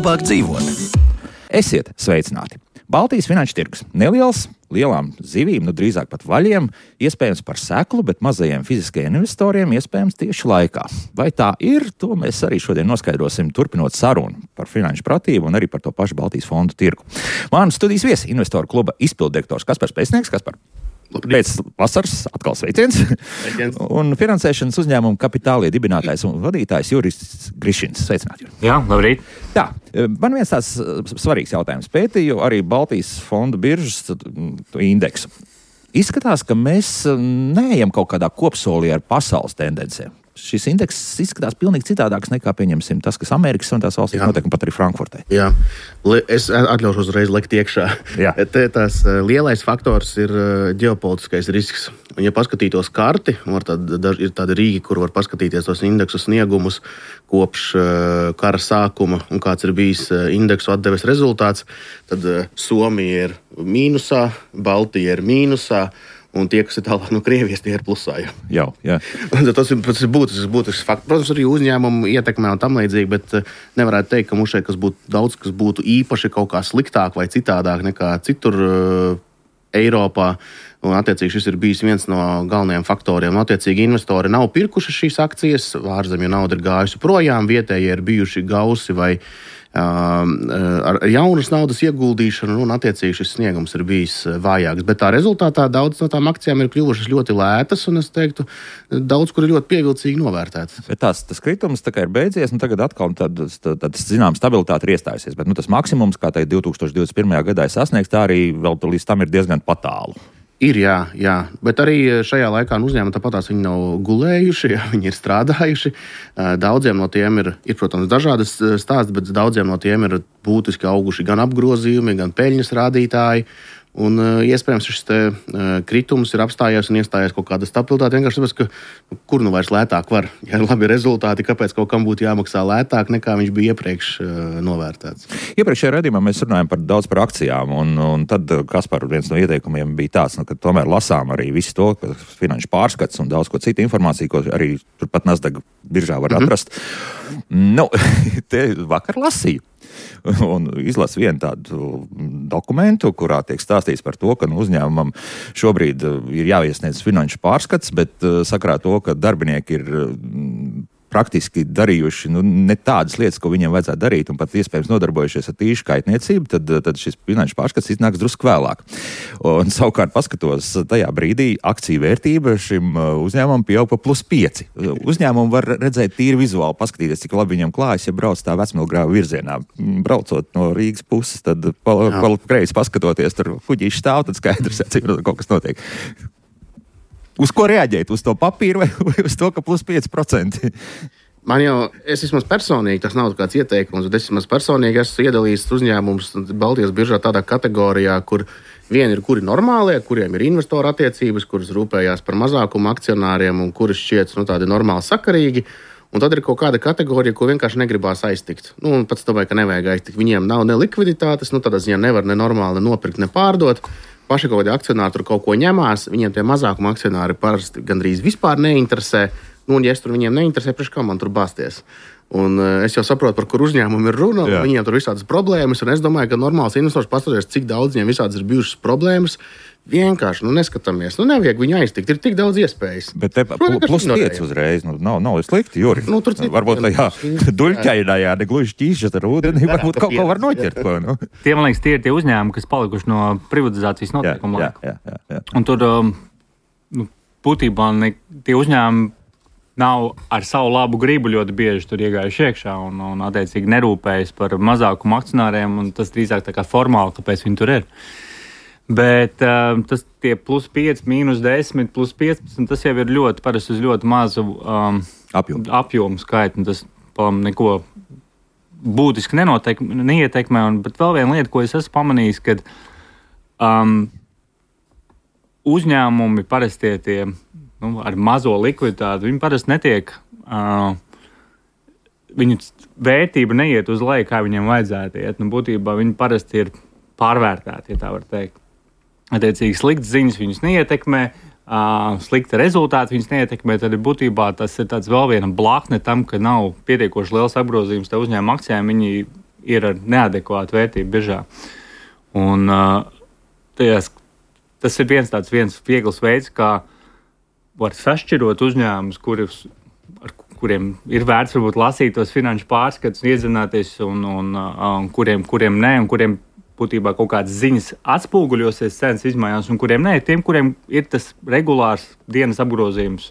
labāk dzīvot. Esiet sveicināti! Baltijas finanšu tirgus neliels, lielām zivīm, drīzāk pat vaļiem, iespējams par seklu, bet mazajiem fiziskajiem investoriem iespējams tieši laikā. Vai tā ir, to mēs arī šodien noskaidrosim, turpinot sarunu par finanšu pratību un arī par to pašu Baltijas fondu tirgu. Manu studijas viesi investoru kluba izpilddirektors Kaspars Pēcnieks. Kaspar, pēc vasaras atkal sveiciens. Un finansēšanas uzņēmuma Kapitālie dibinātājs un vadītājs Juris Grišins. Sveicināti, Juri. Jā, labrīt. Tā, man viens tāds svarīgs jautājums. Pētīju arī Baltijas fondu biržas indeksu. Izskatās, ka mēs neejam kaut kādā kopsolī ar pasaules tendencēm. Šis indeks izskatās pilnīgi citādāks nekā, pieņemsim, tas, kas Amerikas un tās valstīs notiek, un pat arī Frankfurtē. Jā, es atļaušos uzreiz likt iekšā. Tās lielais faktors ir ģeopolitiskais risks. Un, ja paskatītos karti, ir tādi rīki, kur var paskatīties tos indeksu sniegumus kopš kara sākuma un kāds ir bijis indeksu atdeves rezultāts, tad Somija ir mīnusā, Baltija ir mīnusā, un tie, kas ir tālāk no Krievijas, tie ir plusā. Jā. Tas ir būtisks fakts. Protams, arī uzņēmumu ietekmē un tam līdzīgi, bet nevarētu teikt, ka mums šeit daudz kas būtu īpaši kaut kā sliktāk vai citādāk nekā citur Eiropā. Un, attiecīgi, šis ir bijis viens no galvenajiem faktoriem. Attiecīgi, investori nav pirkuši šīs akcijas, ārzemju nauda ir gājusi projām, vietējie ir bijuši gausi vai ar jaunas naudas ieguldīšanu, un attiecīgi šis sniegums ir bijis vājāks. Bet tā rezultātā daudz no tām akcijām ir kļuvušas ļoti lētas, un es teiktu, daudz kur ir ļoti pievilcīgi novērtētas. Bet tas kritums tā kā ir beidzies, un tagad atkal zinām stabilitāte ir iestājusies. Bet tas maksimums, kā tā 2021. gadā ir sasniegts, tā arī vēl līdz tam ir diezgan patālu. Ir, jā, bet arī šajā laikā uzņēmumi tāpatās viņi nav gulējuši, viņi ir strādājuši. Daudziem no tiem ir, protams, dažādas stāsts, bet daudziem no tiem ir būtiski auguši gan apgrozījumi, gan peļņas rādītāji. Un iespējams šis kritums ir apstājies un iestājies kaut kāda stabilitāte. Vienkārši tāpēc, ka kur nu vairs lētāk var. Ja ir labi rezultāti, kāpēc kaut kam būtu jāmaksā lētāk, nekā viņš bija iepriekš novērtēts. Iepriekšējā raidījumā mēs runājam daudz par akcijām, un tad, Kaspar, viens no ieteikumiem bija tāds, ka tomēr lasām arī visu to, ka finanšu pārskats un daudz ko citu informāciju, ko arī turpat Nasdaq biržā var atrast. Te vakar lasīju. Un izlasu vienu tādu dokumentu, kurā tiek stāstīts par to, ka uzņēmumam šobrīd ir jāiesniedz finanšu pārskats, bet sakarā to, ka darbinieki ir praktiski darījuši ne tādas lietas, ko viņiem vajadzētu darīt, un pat iespējams nodarbojušies ar tīšu kaitniecību, tad šis finanšu pārskats iznāks drusku vēlāk. Un savukārt paskatos, tajā brīdī akciju vērtība šim uzņēmumam pieaug pa +5. Uzņēmumu var redzēt tīri vizuāli, paskatīties, cik labi viņam klājas, ja brauc tā Vecmilgrāva virzienā. Braucot no Rīgas puses, tad kreis paskatoties, tur kuģīši stāv, tad skaidrs, cik kaut kas notiek. Uz ko reaģēt? Uz to papīru vai uz to, ka +5%? Es vismaz personīgi, tas nav kāds ieteikums, bet es vismaz personīgi esmu iedalījis uzņēmumus Baltijas biržā tādā kategorijā, kur vieni ir kuri normālie, kuriem ir investoru attiecības, kuras rūpējās par mazākumu akcionāriem un kuras šķiet tādi normāli sakarīgi. Un tad ir kaut kāda kategorija, ko vienkārši negribās aiztikt. Pats domāju, ka nevajag aiztikt. Viņiem nav ne likviditātes, tādā ziņā nevar ne normāli nopirkt, ne pārdot. Paši kaut kādi akcionāri tur kaut ko ņemās, viņiem tie mazākuma akcionāri parasti gandrīz vispār neinteresē. Un ja es tur viņiem neinteresē, priekš kā man tur bāzties. Un es jau saprotu, par kur uzņēmumu ir runa, viņiem tur visādas problēmas, un es domāju, ka normāls investors paskatās, cik daudz viņiem visādas ir bijušas problēmas. Vienkārši neskatāmies. Nevajag viņu aiztikt. Ir tik daudz iespējas. Bet te +5 uzreiz. Nav slikti, Juri. Varbūt tajā duļķainājā, ne gluži ķīšas ar ūdeni, varbūt kaut ko var noķert. Tie, man liekas, tie ir tie uzņēmumi, kas palikuši no privatizācijas noteikuma laika. Jā. Un tur būtībā tie uzņēmumi nav ar savu labu gribu ļoti bieži tur iegājuši iekšā un attiecīgi nerūpējas par mazākumu akcionāriem, un tas drīzāk tā kā formāli, kāpēc viņi tur ir. Bet tas tie +5, -10, +15, tas jau ir ļoti parasti uz ļoti mazu apjomu skaitu. Tas neko būtiski neietekmē. Bet vēl viena lieta, ko es esmu pamanījis, kad uzņēmumi parasti tie ar mazo likviditāti, viņi parasti netiek, viņu vērtība neiet uz leju, kā viņiem vajadzētu iet. Būtībā viņi parasti ir pārvērtēti, ja tā var teikt. Attiecīgi sliktas ziņas viņus neietekmē, slikta rezultāti viņus neietekmē, tad būtībā tas ir tāds vēl viena blakne tam, ka nav pietiekoši liels apgrozījums te uzņēmuma akcijām. Viņi ir ar neadekvātu vērtību biržā. Un tas ir viens viegls veids, kā var sašķirot uzņēmumus, kuriem ir vērts varbūt lasīt tos finanšu pārskatus, iedzināties, un kuriem nē, un kuriem būtībā kaut kādas ziņas atspūguļosies cenas izmaiņās, un kuriem nē, tiem, kuriem ir tas regulārs dienas apgrozījums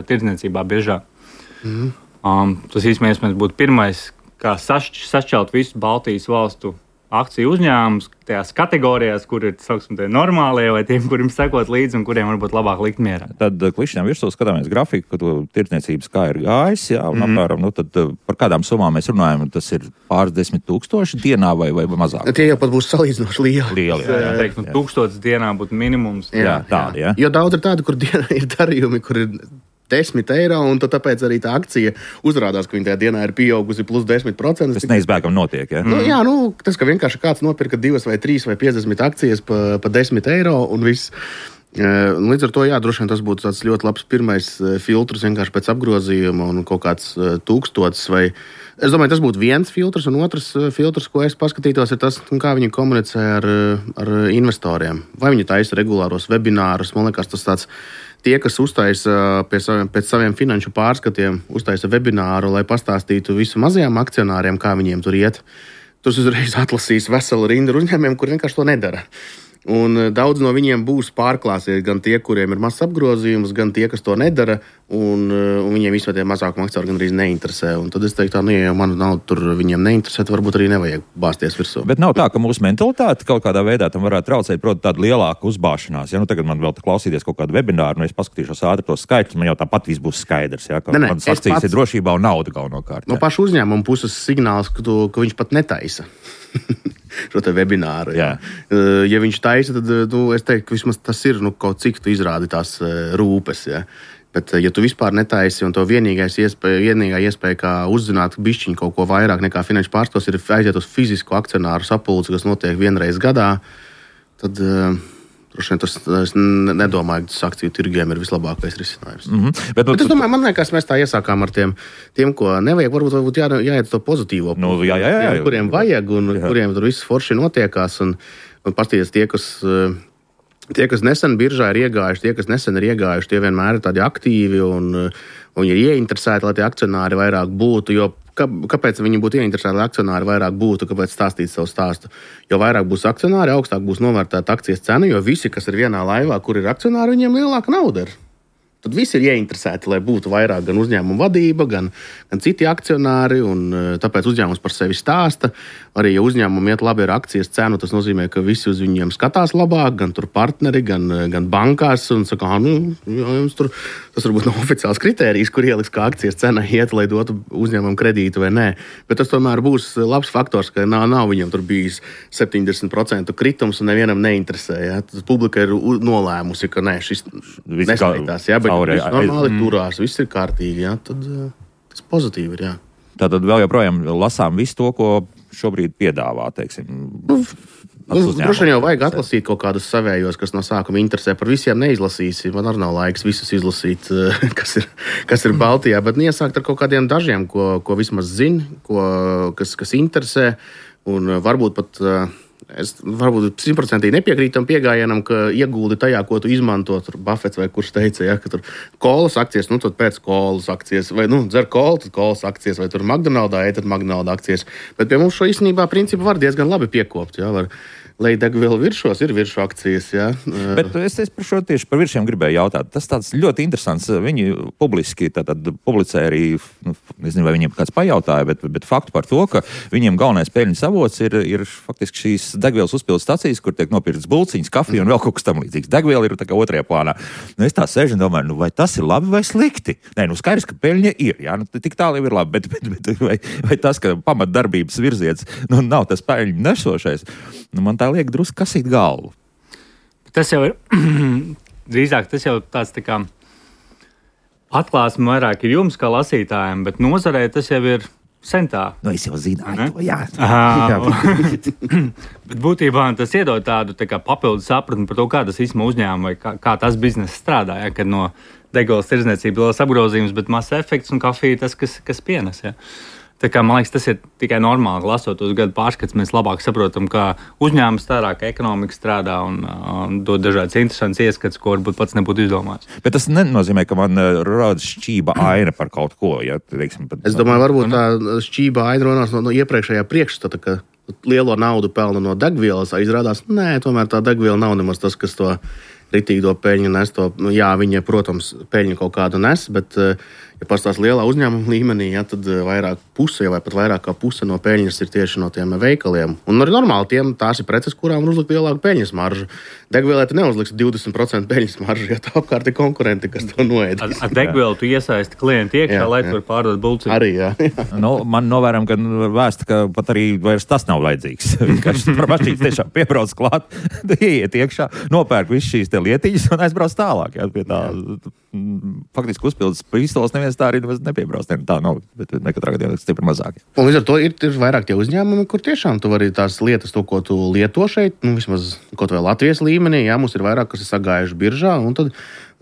tirdzniecībā biržā. Tas īstenībā būtu pirmais, kā sašķelt visu Baltijas valstu akciju uzņēmumus tajās kategorijās, kur ir normālie, vai tiem, kuriem sekot līdzi un kuriem varbūt labāk likt mierā. Tad klišņām virsū skatāmies grafiku, ka tirdzniecības kā ir gājis, jā, un apmēram, tad par kādām summām mēs runājam, tas ir pāris 10,000 dienā vai mazāk? Tie jau pat būs salīdzinoši lieli. Jā. Teikt, 1000 dienā būtu minimums. Jā, tādi, jā. Jo daudz ir tādi, kur dienā ir darījumi, kur ir 10 eiro, un tāpēc arī tā akcija uzrādās, ka viņa tajā dienā ir pieaugusi plus 10%. Tas neizbēgam notiek, ja? Tas, ka vienkārši kāds nopirka 2 vai 3 vai 50 akcijas pa 10 eiro un viss. Līdz ar to, droši vien tas būtu tāds ļoti labs pirmais filtrs vienkārši pēc apgrozījuma un kaut kāds 1000 vai... Es domāju, tas būtu viens filtrs, un otrs filtrs, ko es paskatītos, ir tas, kā viņi komunicē ar investoriem. Vai viņi taisa regulāros webinārus, man liekas, tas tāds... Tie, kas uztaisa pēc saviem finanšu pārskatiem, uztaisa webināru, lai pastāstītu visu mazajiem akcionāriem, kā viņiem tur iet. Tur uzreiz atlasīs veselu rindu uzņēmumiem, kur vienkārši to nedara. Un daudz no viņiem būs pārklāsies gan tie, kuriem ir mazs apgrozījums, gan tie, kas to nedara, un viņiem vispār tie mazākuma akcionāri gan arī neinteresē. Un tad es teiktu, ja manu naudu tur viņiem neinteresē, tad varbūt arī nevajag bāzties virsū. Bet nav tā, ka mūsu mentalitāte kaut kādā veidā tam varētu traucēt, proti, tāda lielāka uzbāšanās. Ja tagad man vēl klausīties kaut kādu webināru, es paskatīšos ātri tos skaitļus, man jau tāpat viss būs skaidrs, ja, ka manas akcijas ir drošībā un nauda galvenokārt. No paša uzņēmuma puses signāls, ka viņš pat netaisa šo te webināru. Jā. Ja viņš taisa, tad es teiktu, ka vismaz tas ir kaut cik tu izrādi tās rūpes. Ja. Bet, ja tu vispār netaisi un to vienīgā iespēja, kā uzzināt bišķiņu kaut ko vairāk nekā finanšu pārstos, ir aiziet uz fizisku akcionāru sapulci, kas notiek vienreiz gadā, tad es nedomāju, ka tas akciju tirgiem ir vislabākais risinājums. Bet es domāju, man liekas, mēs tā iesākām ar tiem ko nevajag. Varbūt jāiet to pozitīvo. Jā. Kuriem vajag un kuriem tur viss forši notiekās. Un pastīties tie, kas nesen biržā ir iegājuši, tie, kas nesen ir iegājuši, tie vienmēr ir tādi aktīvi un ir ieinteresēti, lai tie akcionāri vairāk būtu. Jo kāpēc viņi būtu ieinteresēti, lai akcionāri vairāk būtu, kāpēc stāstīt savu stāstu? Jo vairāk būs akcionāri, augstāk būs novērtēta akcijas cena, jo visi, kas ir vienā laivā, kur ir akcionāri, viņiem lielāka nauda ir. Tad visi ir ieinteresēti, lai būtu vairāk gan uzņēmuma vadība, gan citi akcionāri, un tāpēc uzņēmums par sevi stāsta. Arī, ja uzņēmumam iet labi ar akcijas cenu, tas nozīmē, ka visi uz viņiem skatās labāk, gan tur partneri, gan bankās, un saka, jums tur, tas varbūt nav oficiāls kritērijs, kur ieliks, kā akcijas cena iet, lai dotu uzņēmumam kredītu vai nē. Bet tas tomēr būs labs faktors, ka nav viņam tur bijis 70% kritums un nevienam neinteresē. Ja? Publika ir nolēmusi, ka nē, šis neskaitās. Ja? Viss normāli turās, viss ir kārtīgi, jā, tad tas pozitīvi ir, jā. Tātad vēl joprojām lasām visu to, ko šobrīd piedāvā, teiksim. Droši vien jau vajag atlasīt kaut kādus savējos, kas no sākuma interesē. Par visiem neizlasīsi, man arī nav laiks visus izlasīt, kas ir Baltijā, bet iesākt ar kaut kādiem dažiem, ko vismaz zina, kas interesē, un varbūt pat... Es varbūt 100% nepiekrītu tam pieejamam, ka ieguldi tajā, ko tu izmanto. Tur Buffets vai kurš teica, ja, ka tur kolas akcijas, tad pēc kolas akcijas, vai dzer kolu, tad kolas akcijas, vai tur McDonald's, tad McDonald's akcijas. Bet pie mums šo īstenībā principu var diezgan labi piekopt. Ja, lai degvielu virsšos ir virsšu akcijas. Ja. Bet es tieši par viršiem gribēju jautāt. Tas tāds ļoti interesants. Viņi publiski publicē arī, nezinu, vai viņiem kāds pajautāja, bet faktu par to, ka viņiem galvenais peļņas avots ir faktiski šīs degvielas uzpildes stacijas, kur tiek nopirkts bulciņas, kafija un vēl kaut kas tam līdzīgs. Degviela ir tā kā otrajā plānā. Es tā sēžu un domāju, vai tas ir labi vai slikti? Nē, skaidrs, ka peļņa ir. Jā, tik tālu jau ir labi, bet vai tas, ka pamatdarbības virziens nav tas peļņu nesošais, man tā liek drusku kasīt galvu. Tas jau ir drīzāk tāds tā kā atklāsme vairāk ir jums kā lasītājiem, bet nozarē tas jau ir sen tā. Es jau zināju to, jā. Bet būtībā tas iedod tādu tā kā papildus sapratni par to, kā tas īstenībā uzņēmuma vai kā tas bizness strādā, ja, kad no degvielas tirdzniecības liels apgrozījums, bet mazs efekts un kafija tas, kas pienes. Ja. Tā kā, man liekas, tas ir tikai normāli. Lasot uz gadu pārskats, mēs labāk saprotam, kā uzņēmums strādā, kā ekonomika strādā un dod dažādas interesantas ieskats, ko varbūt pats nebūtu izdomājis. Bet tas nenozīmē, ka man rodas šķība aina par kaut ko. Ja, teiksim, es domāju, varbūt tā šķība aina runās no iepriekšējā priekšstata, ka lielo naudu pelna no degvielas, izrādās, nē, tomēr tā degviela nav nemaz tas, kas to ritīgo peļņu nes. Jā, viņa, protams, peļņu kaut kādu nes, bet, ja pastāst lielā uzņēmuma līmenī, ja, tad vairāk puse vai pat vairāk kā puse no peļņas ir tieši no tiem veikaliem. Un arī normāli tās ir preces, kurām var uzlikt lielāku peļņas maržu. Degvielai tu neuzliks 20% peļņas maržu, ja tā apkārt ir konkurenti, kas to noēdīs. Ar degvielu tu iesaisti klientu iekšā, lai tu var pārdot bulci. Arī, jā. Man novēram, ka vēsta, ka pat arī vairs tas nav vajadzīgs. Vienkārši par mašīnas tiešām piebrauc klāt, ieiet iekšā, nopērk visu šīs te lietiņas un aizbrauc tālāk. Jā, pie tā faktiski uzpildes pistoles neviens tā arī nepiebrauc. Tā nav, bet nekatrā gadījumā stipri mazāk. Un līdz ar to ir vairāk tie uzņēmumi, kur tiešām tu vari tās lietas, to, ko tu lieto šeit, vismaz kaut vai Latvijas līmenī, jā, mums ir vairāk, kas ir sagājuši biržā, un tad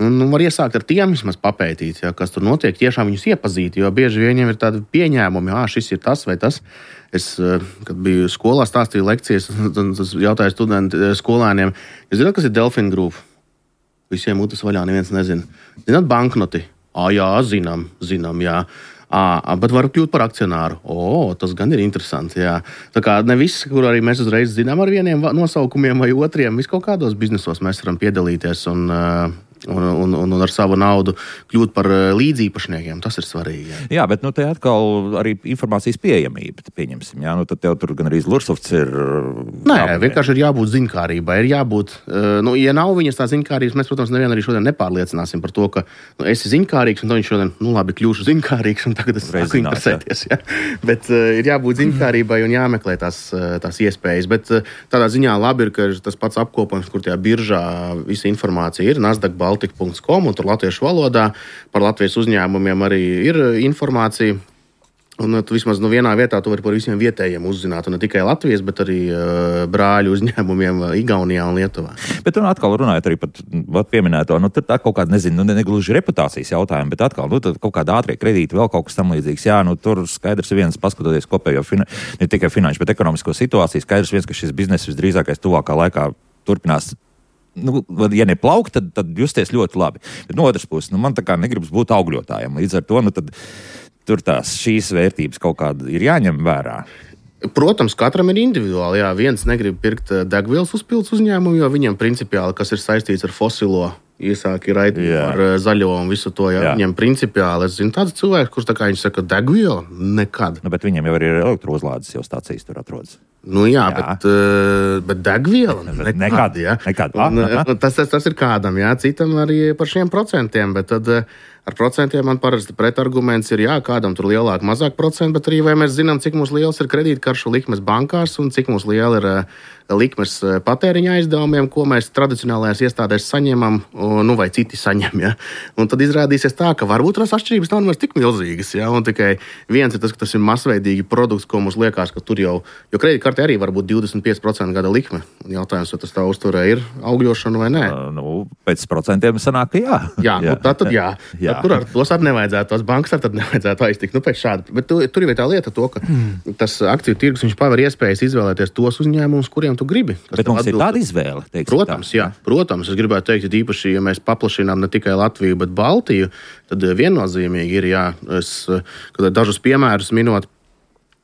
var iesākt ar tiem vismaz papētīt, jā, kas tur notiek, tiešām viņus iepazīt, jo bieži viņiem ir tādi pieņēmumi, šis ir tas vai tas. Es, kad biju skolā, stāstīju lekcijas, un jautāju skolēniem, jūs zināt, kas ir Delfin Group? Visiem mutes vaļā, neviens nezina. Zināt banknoti? Jā, zinām, jā. Bet varu kļūt par akcionāru. Tas gan ir interesanti, jā. Tā kā ne viss, kur arī mēs uzreiz zinām ar vieniem nosaukumiem vai otriem, vis kaut kādos biznesos mēs varam piedalīties un ar savu naudu kļūt par līdzīpašniekiem. Tas ir svarīgi. Jā, bet te atkal arī informācijas pieejamība, pieņemsim. Jā, tad tev tur gan arī Lursofts ir. Nē, vienkārši ir jābūt ziņkārībai. Ir jābūt, ja nav viņas tā ziņkārības, mēs, protams, nevienu arī šodien nepārliecināsim par to, ka esi ziņkārīgs, un tad viņš šodien, labi, kļūšu ziņkārīgs, un tagad es sāku interesēties. Jā. Bet ir jābūt ziņkārībai un jāmeklē tās iespējas. Bet tādā ziņā labi ir, ka tas pats apkopojums, kur tajā biržā visa informācija ir, Nasdaq Baltic.com, un tur latviešu valodā par Latvijas uzņēmumiem arī ir informācija. Un tu vismaz vienā vietā tu vari par visiem vietējiem uzzināt, un ne tikai Latvijas, bet arī brāļu uzņēmumiem Igaunijā un Lietuvā. Bet tur atkal runājot arī par pieminēto, tur tā kaut kāda, negluži reputācijas jautājumi, bet atkal, kaut kāda ātrie kredīti, vēl kaut kas tam līdzīgs. Jā, tur skaidrs viens, paskatoties kopējo ne tikai finanšu, bet ekonomisko situāciju, skaidrs viens, ka šis biznes visdrīzākais tuvākā laikā turpinās. Ja neplaukt, tad justies ļoti labi. Bet no otras puses, man tā kā negribas būt augļotājiem. Līdz ar to, tad tur šīs vērtības kaut kāda ir jāņem vērā. Protams, katram ir individuāli. Jā, viens negrib pirkt degvielas uzpildes uzņēmumu, jo viņam principiāli, kas ir saistīts ar fosilo, iesāki raidīt par zaļo un visu to. Jā. Viņam principiāli, es zinu tāds cilvēks, kurš tā kā viņš saka, degviela nekad. Bet viņiem jau arī ir elektrouzlādes jau stācijas tur atrodas. Jā. Bet degviela nekad. Tas ir kādam, jā, citam arī par šiem procentiem, bet tad ar procentiem man parasti pretarguments ir, jā, kādam tur lielāk, mazāk procentu, bet arī vai mēs zinām, cik mums liels ir kredītkaršu likmes bankās un cik mums liela ir likmes patēriņa aizdevumiem, ko mēs tradicionālajās iestādēs saņemam, vai citi saņem. Ja? Un tad izrādīsies tā, ka varbūt tās atšķirības nav nemaz tik milzīgas. Ja? Un tikai viens ir tas, ka tas ir masveidīgi produkts, ko mums liekas, ka tur jau kredītkartē arī var būt 25% gada likme. Un jautājums, vai tas tā uzturē ir augļošana vai nē? Pēc procentiem sanāk, ka jā. Jā, tad jā. Tur ar tos arī nevajadzētu, tos bankas arī nevajadzētu aiztikt. Pēc šāda. Bet tur ir tā lieta, ka tas akciju tirgus paver iespējas izvēlēties tos uzņēmumus, kuriem tu gribi. Bet mums ir tāda izvēle. Protams, jā. Protams, es gribētu teikt, ka īpaši, ja mēs paplašinām ne tikai Latviju, bet Baltiju, tad viennozīmīgi ir, dažus piemērus minot.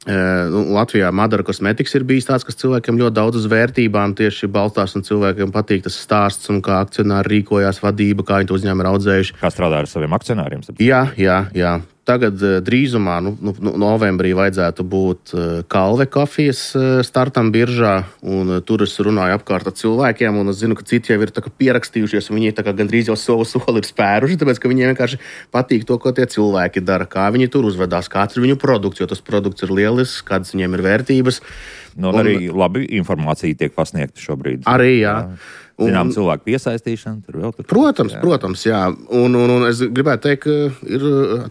Latvijā Madara Cosmetics ir bijis tāds, kas cilvēkiem ļoti daudz uz vērtībām tieši balstās, un cilvēkiem patīk tas stāsts, un kā akcionāri rīkojās, vadība, kā viņi to uzņēmumu ir audzējuši. Kā strādā ar saviem akcionāriem? Jā. Tagad drīzumā, novembrī vajadzētu būt Kalve kafijas startam biržā, un tur es runāju apkārt ar cilvēkiem, un es zinu, ka citi jau ir pierakstījušies, un viņi gandrīz jau savu soli ir spēruši, tāpēc, ka viņiem vienkārši patīk to, ko tie cilvēki dara, kā viņi tur uzvedās, kāds ir viņu produkts, jo tas produkts ir lielisks, kādas viņiem ir vērtības. Arī labi informācija tiek pasniegta šobrīd. Arī, jā. Zinām, cilvēku piesaistīšana, tur vēl tur. Protams, jā. Un es gribētu teikt, ka ir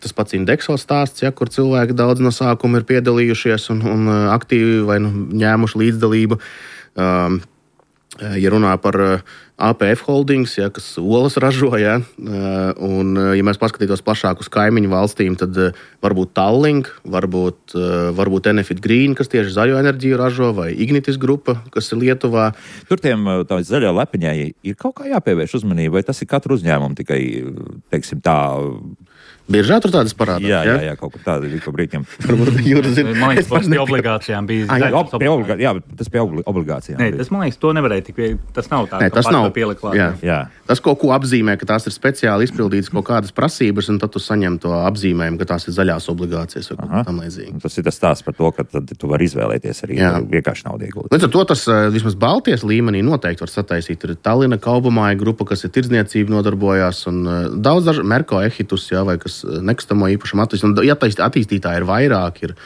tas pats Indexo stāsts, ja, kur cilvēki daudz no sākuma ir piedalījušies un aktīvi vai ņēmuši līdzdalību. Ja runā par APF Holdings, kas olas ražo, un, ja mēs paskatītos plašāk uz kaimiņu valstīm, tad varbūt Tallink, varbūt Enefit Green, kas tieši zaļo enerģiju ražo, vai Ignitis grupa, kas ir Lietuvā. Tur tiem zaļo lepiņai ir kaut kā jāpievērš uzmanība, vai tas ir katru uzņēmumu tikai, teiksim tā... Biežā tur tādas parādās? Jā, kaut kur tāda ir pa brīķiem. Man liekas, tas pie obligācijām bija. Jā, tas pie obligācijām. Nē, tas, man liekas, to nevarēja tik viegli. Tas nav tā, tas nav pielikt klāt. Jā. Tas kaut ko apzīmē, ka tās ir speciāli izpildītas kaut kādas prasības, un tad tu saņem to apzīmējumu, ka tās ir zaļās obligācijas vai kaut tam līdzīgi. Tas ir tas stāsts par to, ka tad tu vari izvēlēties arī vienkārši naudu ieguldīt. Līdz ar to tas vismaz Baltijas līmenī noteikti var sataisīt. Ir Tallina Kaubamāja grupa, kas ir tirdzniecība nodarbojās, un daudz Merko Ehitus, vai kas nekustamo īpašumu attīstītāji ir vairāk, ir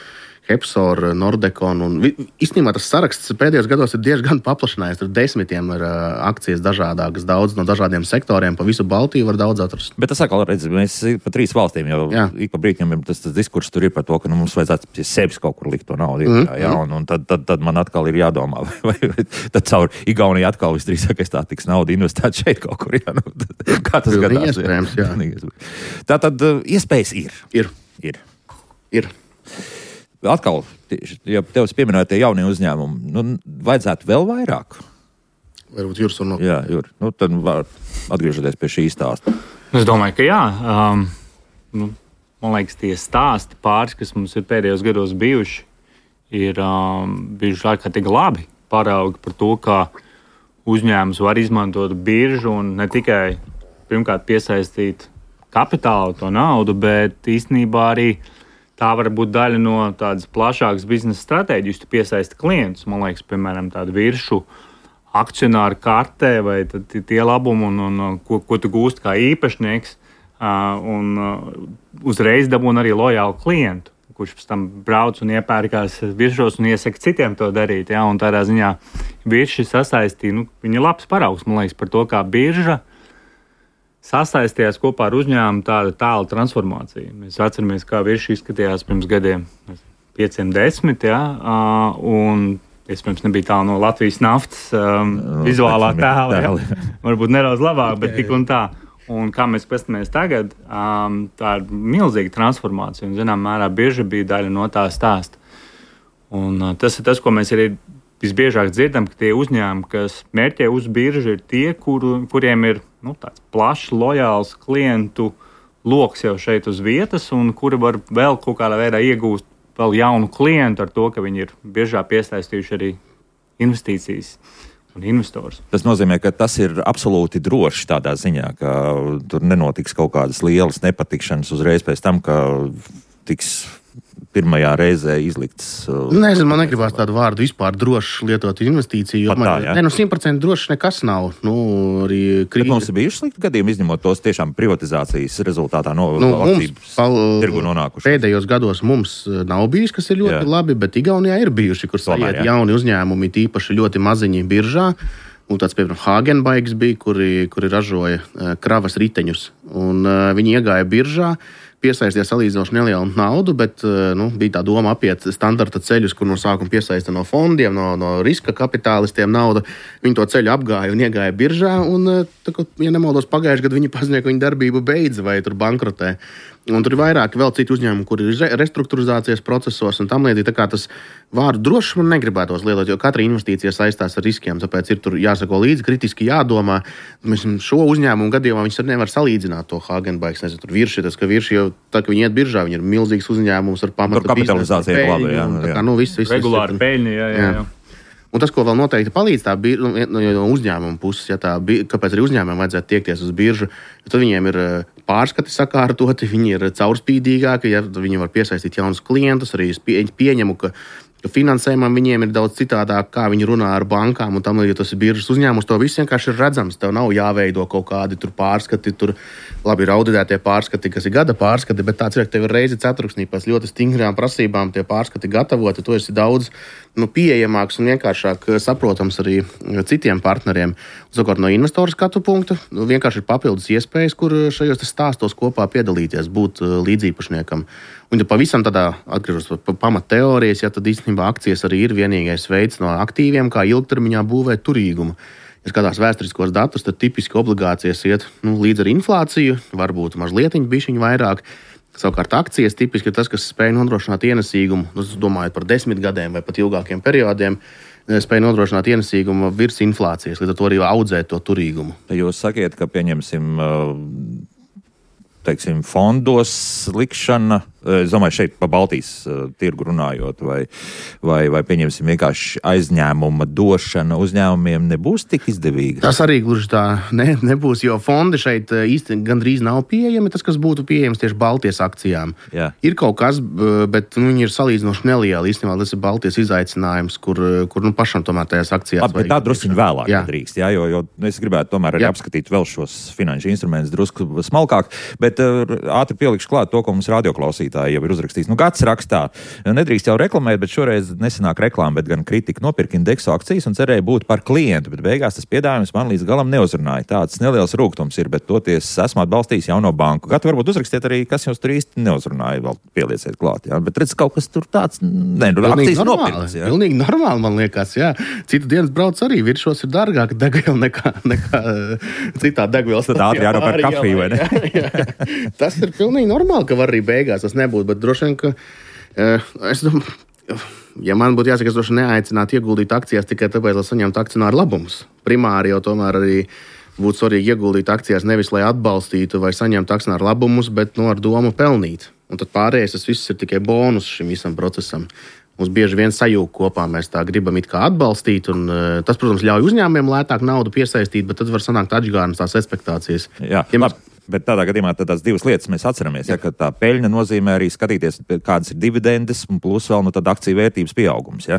Hepsor, Nordecon, un īstenībā tas saraksts pēdējos gados ir diezgan paplašinājies. Tur desmitiem ir akcijas dažādākas, daudz no dažādiem sektoriem, pa visu Baltiju var daudz atrast. Bet tas atkal, redz, mēs pa 3 valstīm jau ik pa brīķiem tas diskurss tur ir par to, ka mums vajadzētu pie sevis kaut kur likt to naudu. Un tad man atkal ir jādomā, vai tad caur Igauniju atkal visdrīzākais tā tiks nauda investēt šeit kaut kur. Kā tas gadās? Iespējams, jā. Tātad iespējas ir. Ir. Atkal, ja tev pieminēja tie jaunie uzņēmumi, vajadzētu vēl vairāk. Varbūt Juris un Jā, Juri. Tad var atgriežoties pie šī stāsta. Es domāju, ka jā. Man liekas, tie stāsti pāris, kas mums ir pēdējos gados bijuši, ir bijuši ārkārtīgi labi paraugi par to, kā uzņēmums var izmantot biržu un ne tikai pirmkārt piesaistīt kapitālu, to naudu, bet īstenībā arī tā var būt daļa no tādas plašākas biznesa stratēģijas. Tu piesaisti klientus, man liekas, piemēram, tādu viršu akcionāru kartē vai tie labumi, un ko tu gūsti kā īpašnieks, un uzreiz dabūni arī lojālu klientu, kurš pēc tam brauc un iepērkās viršos un iesaka citiem to darīt. Un tādā ziņā virši sasaistīja, viņi ir labs paraugs, man liekas, par to, kā birža sasaistījās kopā ar uzņēmumu tādu tālu transformāciju. Mēs atceramies, kā virši izskatījās pirms gadiem 5-10, un iespējams nebija tālu no Latvijas naftas vizuālā tēla. Varbūt nedaudz labāk, bet tik un tā. Un kā mēs paskatāmies tagad, tā ir milzīga transformācija, un zinām mērā birža bija daļa no tā stāsta. Un tas ir tas, ko mēs arī visbiežāk dzirdam, ka tie uzņēmumi, kas mērķē uz biržu, ir tie, kuriem ir tāds plašs, lojāls klientu loks jau šeit uz vietas, un kuri var vēl kaut kādā veidā iegūst vēl jaunu klientu ar to, ka viņi ir biežāk piesaistījuši arī investīcijas un investors. Tas nozīmē, ka tas ir absolūti droši tādā ziņā, ka tur nenotiks kaut kādas lielas nepatikšanas uzreiz pēc tam, ka tiks pirmajā reizē izlikts. Nezinu, man negribās tādu vārdu vispār droši lietot investīciju. Tā, 100% droši nekas nav. Bet mums ir bijuši slikti gadījumi, izņemot tos tiešām privatizācijas rezultātā no akcijas tirgu nonākuši. Pēdējos gados mums nav bijis, kas ir ļoti labi, bet Igaunijā ir bijuši, kur sajiet jauni uzņēmumi, tīpaši ļoti maziņi biržā. Un tāds, piemēram, Hagenbaigs bija, kuri ražoja kravas riteņus. Un viņi iegāja biržā, piesaistīja salīdzinoši nelielu naudu, bet bija tā doma apiet standarta ceļus, kur no sākuma piesaista no fondiem, no riska kapitālistiem naudu. Viņi to ceļu apgāja un iegāja biržā, un, ja nemaldos, pagājušajā gadā viņi paziņoja, ka viņa darbību beidz vai tur bankrotē. Un tur ir vairāki vēl citi uzņēmumi, kur ir restruktūrizācijas procesos un tam līdzīgi. Tā kā tas vārdu droši man negribētos lietot, jo katra investīcija saistās ar riskiem, tāpēc ir tur jāsako līdzi, kritiski jādomā. Mēs šo uzņēmumu gadījumā viņus nevar salīdzināt to Hagenbaigs, nezinu, tur virši, tas, ka virši jau tā, ka viņi iet biržā, viņi ir milzīgs uzņēmums ar pamatu kapitalizāciju labi, jā. Regulāri peļņi, jā. Un tas, ko vēl noteikti palīdz no uzņēmuma puses, kāpēc arī uzņēmumiem vajadzētu tiekties uz biržu, tad viņiem ir pārskati sakārtoti, viņi ir caurspīdīgāki, viņi var piesaistīt jaunus klientus, arī pieņemu, ka finansējumam viņiem ir daudz citādāk, kā viņi runā ar bankām, un tam, ja tas ir biržas uzņēmums, to viss vienkārši ir redzams. Tev nav jāveido kaut kādi tur pārskati, tur labi ir auditētie pārskati, kas ir gada pārskati, bet tāds ir, ka tev ir reizi ceturksnī pēc ļoti stingrām prasībām tie pārskati gatavoti, tu esi daudz pieejamāks un vienkāršāk saprotams arī citiem partneriem. Savukārt no investoru skatu punkta vienkārši ir papildus iespējas, kur šajos stāstos kopā piedalīties, būt līdzīpašniekam. Un ja pavisam tādā atgriežos pie pamatteorijas, tad īstenībā akcijas arī ir vienīgais veids no aktīviem, kā ilgtermiņā būvēt turīgumu. ja skatās vēsturiskos datus, tad tipiski obligācijas iet līdz ar inflāciju, varbūt mazlietiņu bišķiņu vairāk. Savukārt akcijas tipiski ir tas, kas spēj nodrošināt ienesīgumu, domājot par 10 gadiem vai pat ilgākiem periodiem, spēj nodrošināt ienesīgumu virs inflācijas, līdz ar to arī audzēt to turīgumu. Jūs sakiet, ka pieņemsim, teiksim, fondos likšana, es domāju, šeit pa Baltijas tirgu runājot, vai pieņemsim vienkārši aizņēmuma došana uzņēmumiem nebūs tik izdevīga? Tas arī gluži tā nebūs, jo fondi šeit īsti gandrīz nav pieejami, tas, kas būtu pieejams tieši Baltijas akcijām. Jā. Ir kaut kas, bet viņi ir salīdzinoši nelieli. Īstenībā tas ir Baltijas izaicinājums, kur pašam tomēr tajās akcijās. Labi, bet tā drusciņi vēlāk drīkst, jo es gribētu tomēr arī apskatīt vēl šos finanšu instrumentus drusku smalkāk, bet ātri pielikšu klāt to, ko mums radioklausītāji jau ir uzrakstījis. Gads rakstā, nedrīkst jau reklamēt, bet šoreiz nesanāk reklāma, bet gan kritika. Nopirka Indexo akcijas un cerēja būt par klientu, bet beigās tas piedāvājums man līdz galam neuzrunāja. Tāds neliels rūgtums ir, bet toties esmu atbalstījis jauno banku. Gadu varbūt uzrakstiet arī, kas jums tur īsti neuzrunāja, vēl pielieciet klāt. Jā. Bet redz, kaut kas tur tāds, akcijas nopirks. Pilnīgi normāli, man liekas, jā. Citu dienas brauc arī, virsšos ir dārgāka degviela nekā citā degvielas. Tad ātri jārop ar kafiju, vai ne? Jā. Tas ir pilnīgi normāli, ka var arī beigās tas nebūt, bet droši vien, ka es domāju, ja man būtu jāsaka, es droši neaicinātu ieguldīt akcijās tikai tāpēc, lai saņemtu akcionāru labumus. Primāri jau tomēr arī būtu svarīgi ieguldīt akcijās nevis, lai atbalstītu vai saņemtu akcionāru labumus, bet ar domu pelnīt. Un tad pārējais tas viss ir tikai bonus šim visam procesam. Mums bieži vien sajūg kopā, mēs tā gribam it kā atbalstīt, un tas, protams, ļauj uzņēmumiem lētāk naudu piesaistīt, bet tad var sanākt atžgārnas tās ekspektācijas. Jā, labi. Bet tādā gadījumā tās divas lietas mēs atceramies, ka tā peļņa nozīmē arī skatīties, kādas ir dividendes, un plus vēl akciju vērtības pieaugums. Ja?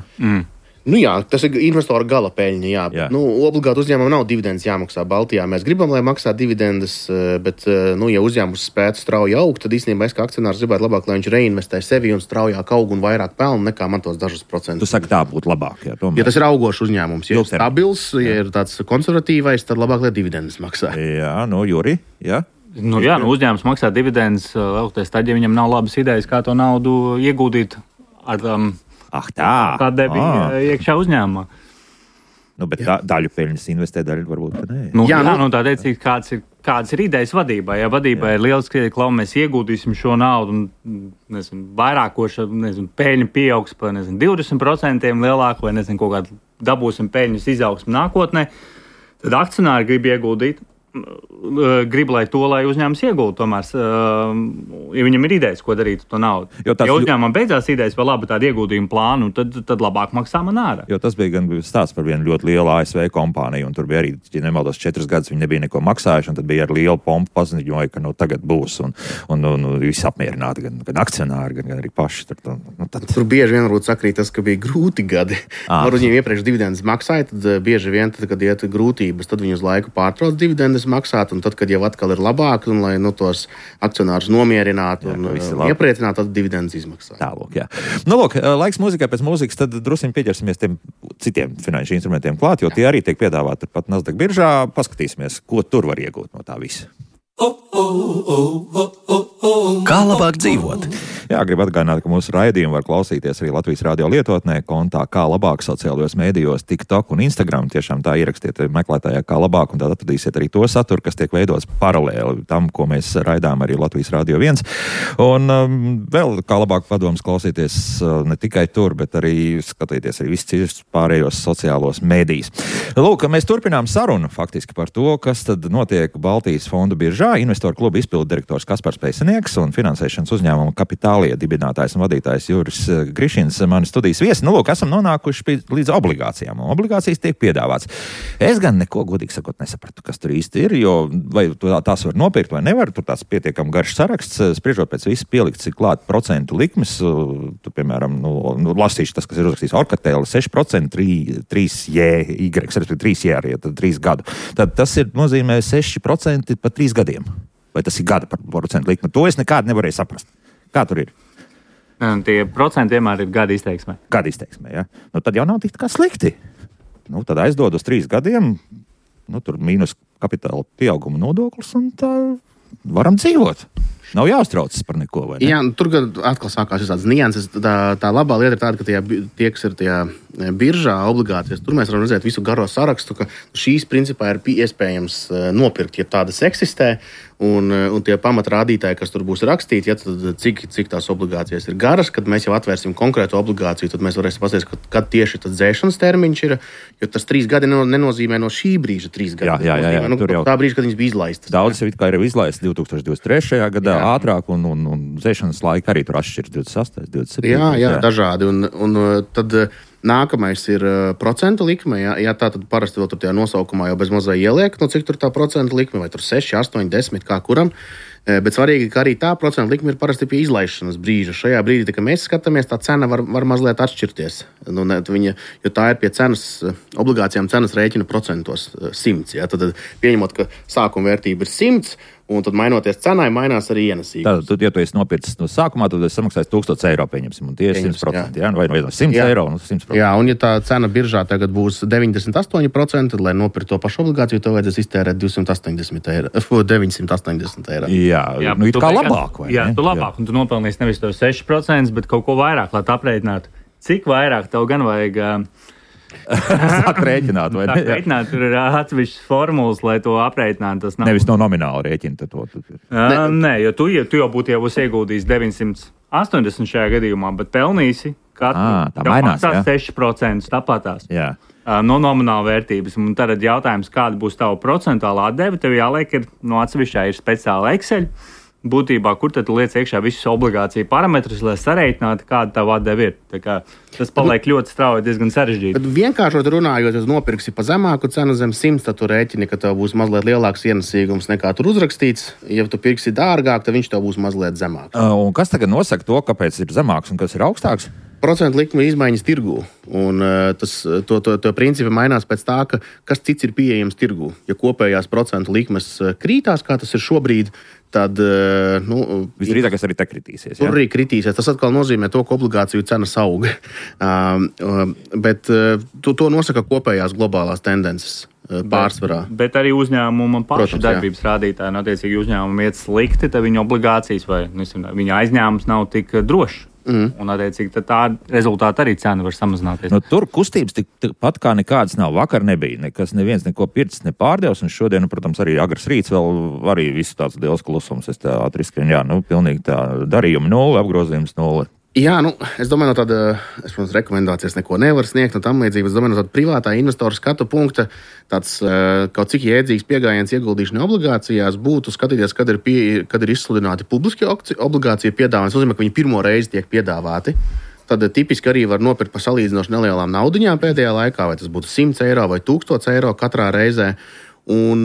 Jā, tas ir investora gala peļņa. Jā. Obligāti uzņēmumam nav dividendes jāmaksā Baltijā. Mēs gribam, lai maksā dividendes, bet, ja uzņēmums spētu strauji augt, tad īstenībā es kā akcionārs gribētu labāk, lai viņš reinvestē sevi un straujāk aug un vairāk pelna nekā man tos dažus procentus. Tu saki, tā būtu labāk. Jā, ja tas ir augošs uzņēmums, ja ir stabils, ja ir tāds konservatīvais, tad labāk, lai dividendes maksā. Jā, Juri, jā. Uzņēmums maksā dividendes, tad, ja viņam nav labas idejas, kā to naudu ieguldīt ar kā debija iekšā uzņēmumā. Bet daļu peļņas investē, daļu varbūt ne. Tā teicīgi, kāds ir idejas vadībai. Ja vadībai ir liels kritika, mēs ieguldīsim šo naudu un vairākoša peļņa pieaugs par 20% lielāku vai kaut kādu dabūsim peļņas izaugsmu nākotnē, tad akcionāri grib ieguldīt. Grib, lai uzņēmums iegulda tomēr, ja viņam ir idejas, ko darīt ar to naudu. Ja uzņēmumam beidzās idejas par labu tādu ieguldījumu plānu, tad labāk maksā man ārā. Jo tas bija gan stāsts par vienu ļoti lielu ASV kompāniju, un tur bija arī, ja nemaldos, 4 gadus viņi nebija neko maksājuši, un tad bija ar lielu pompu paziņoja, ka tagad būs, un visi apmierināti, gan akcionāri, gan arī paši. Tur bieži vien varbūt sakrīt tas, ka bija grūti gadi. Varbūt viņiem iepriekš dividendes maksāja, tad bieži vien, kad iet grūtības, tad viņi uz laiku pārtrauc dividendes maksāt, un tad, kad jau atkal ir labāk, un lai tos akcionārus nomierinātu un iepriecinātu, tad dividendes izmaksā. Tālūk, jā. Laiks mūzikai, pēc mūzikas, tad drusiņi pieķersimies tiem citiem finanšu instrumentiem klāt, jo tie arī tiek piedāvāti pat Nasdaq biržā. Paskatīsimies, ko tur var iegūt no tā visa. Kā labāk dzīvot? Jā, gribu atgādināt, ka mūsu raidījumu var klausīties arī Latvijas radio lietotnē, kontā Kā labāk sociālajos mēdījos, TikTok un Instagram. Tiešām tā ierakstiet meklētājā Kā labāk, un tad atradīsiet arī to saturu, kas tiek veidots paralēli tam, ko mēs raidām arī Latvijas radio 1. Un vēl Kā labāk padoms klausīties ne tikai tur, bet arī skatīties arī visus citus pārējos sociālos mēdījus. Lūk, mēs turpinām sarunu faktiski par to, kas tad notiek Baltijas fondu biržā. Investoru kluba izpildu direktors Kaspars Pēcinieks un finansēšanas uzņēmuma Kapitālija dibinātājs un vadītājs Juris Grišins, mani studijas viesi. Lūk, esam nonākuši līdz obligācijām. Obligācijas tiek piedāvāts. Es gan neko, godīgi sakot, nesapratu, kas tur īsti ir, jo vai tās var nopirkt vai nevar. Tur tāds pietiekam garš saraksts, spriežot pēc visu pielikts ir klāt procentu likmes. Tu, piemēram, lasīšu tas, kas ir uzrakstīts Orkatēli, 6%, 3J, respektīvi 3J arī, tad 3 gadu. Tad tas ir nozīmē 6% pa 3 gadiem. Vai tas ir gada par procentu likme? To es nekādu nevarēju saprast. Kā tur ir? Tie procenti vienmēr ir gada izteiksmē. Gada izteiksmē, jā. Tad jau nav tik kā slikti. Tad aizdod uz 3 gadiem, tur mīnus kapitāla pieauguma nodoklis un tā varam dzīvot. Nav jāuztraucas par neko, vai ne? Jā, tur atkal sākās visādas nianses. Tā labā lieta ir tāda, ka tie, kas ir tajā biržā obligācijas, tur mēs varam redzēt visu garo sarakstu, ka šīs principā ir iespējams nopirkt, ja tādas eksistē, un tie pamatrādītāji, kas tur būs rakstīti, ja, tad cik tās obligācijas ir garas, kad mēs jau atvērsim konkrētu obligāciju, tad mēs varēsim paskatīties, kad tieši tas dzēšanas termiņš ir, jo tas 3 gadi nenozīmē no šī brīža 3 gadi. Jā, tā brīža, kad viņas bija izlaistas. Daudz jau it kā ir izlaistas 2023. gadā ātrāk, un dzēšanas laika arī tur atšķiras 28, 27. Jā, dažādi. Un tad nākamais ir procentu likme. Jā, tā tad parasti vēl tur tajā nosaukumā jau bez mazā ieliek, no cik tur tā procentu likme, vai tur 6, 8, 10, kā kuram. Bet svarīgi, ka arī tā procentu likme ir parasti pie izlaišanas brīža. Šajā brīdī, kad mēs skatāmies, tā cena var mazliet atšķirties. Jo tā ir pie obligācijām cenas rēķina procentos 100. Ja? Tad pieņemot, ka sākuma vērtība ir 100, un tad mainoties cenai, mainās arī ienesīgi. Tātad, ja tu esi nopircis no sākumā, tad esi samaksājis 1000 eiro, pieņemsim, un tie ir 100%. Jā. Vai 100 eiro un 100%. Jā, un ja tā cena biržā tagad būs 98%, tad, lai nopirktu to pašu obligāciju, tev vajadzēs iztērēt 980 eiro. Jā, nu it kā labāk, vai ne? Jā, tu labāk, un tu nopelnīsi nevis to 6%, bet kaut ko vairāk, lai tu aprēķinātu. Cik vairāk tev gan vajag... Sāk rēķināt, vai ne? Rēķināt, tur ir atsevišķas formulas, lai to aprēķinātu. Nevis no nomināla rēķina. Nē, jo tu jau būtu ieguldījis 980 šajā gadījumā, bet pelnīsi katru. Tā mainās, jā? 6% tāpatās. Jā. No nomināla vērtības. Un tad jautājums, kāda būs tava procentuālā atdeve, tev jāliek, ir no atsevišķā ir speciāla Excel. Būtībā, kur tad liec iekšā visus obligāciju parametrus, lai sareiķinātu, kāda tā atdeve ir. Tas paliek ļoti strauji, diezgan sarežģīti. Bet vienkāršot runājot, ja nopirksi pa zemāku cenu zem 100, tad tu rēķini, ka tev būs mazliet lielāks ienesīgums nekā tur uzrakstīts. Ja tu pirksi dārgāk, tad viņš tev būs mazliet zemāks. Un kas tagad nosaka to, kāpēc ir zemāks un kas ir augstāks? Procentu likme izmaiņas tirgū. Un to principi mainās pēc tā, kas cits ir pieejams tirgū. Ja kopējās procentu likmes krītās, kā tas ir šobrīd, tad visdrīzākais arī te kritīsies. Tur arī kritīsies. Tas atkal nozīmē to, ka obligāciju cenas aug. Bet to nosaka kopējās globālās tendences pārsvarā. Bet arī uzņēmuma pašu darbības rādītāji, attiecīgi uzņēmumi iet slikti, tad viņa obligācijas vai viņa aizņēmums nav tik drošs. Un, attiecīgi, tā rezultātā arī cena var samazināties. Tur kustības tikpat kā nekādas nav. Vakar nebija neviens neko pircis, ne pārdevis, un šodien, protams, arī agrs rīts vēl arī visu tāds liels klusums. Es tā atriskrinu, pilnīgi tā darījumi 0, apgrozījums 0. Jā, es domāju, no tāda, protams, rekomendācijas neko nevar sniegt, no tam līdzīgi. Es domāju, no tāda privātā investora skatu punkta, tāds kaut cik jēdzīgs pieejams ieguldīšanai obligācijās būtu skatīties, kad ir izsludināti publiski obligāciju piedāvājumi. Tas nozīmē, ka viņi pirmo reizi tiek piedāvāti. Tad tipiski arī var nopirkt par salīdzinoši nelielām naudiņām pēdējā laikā, vai tas būtu 100 eiro vai 1000 eiro katrā reizē. Un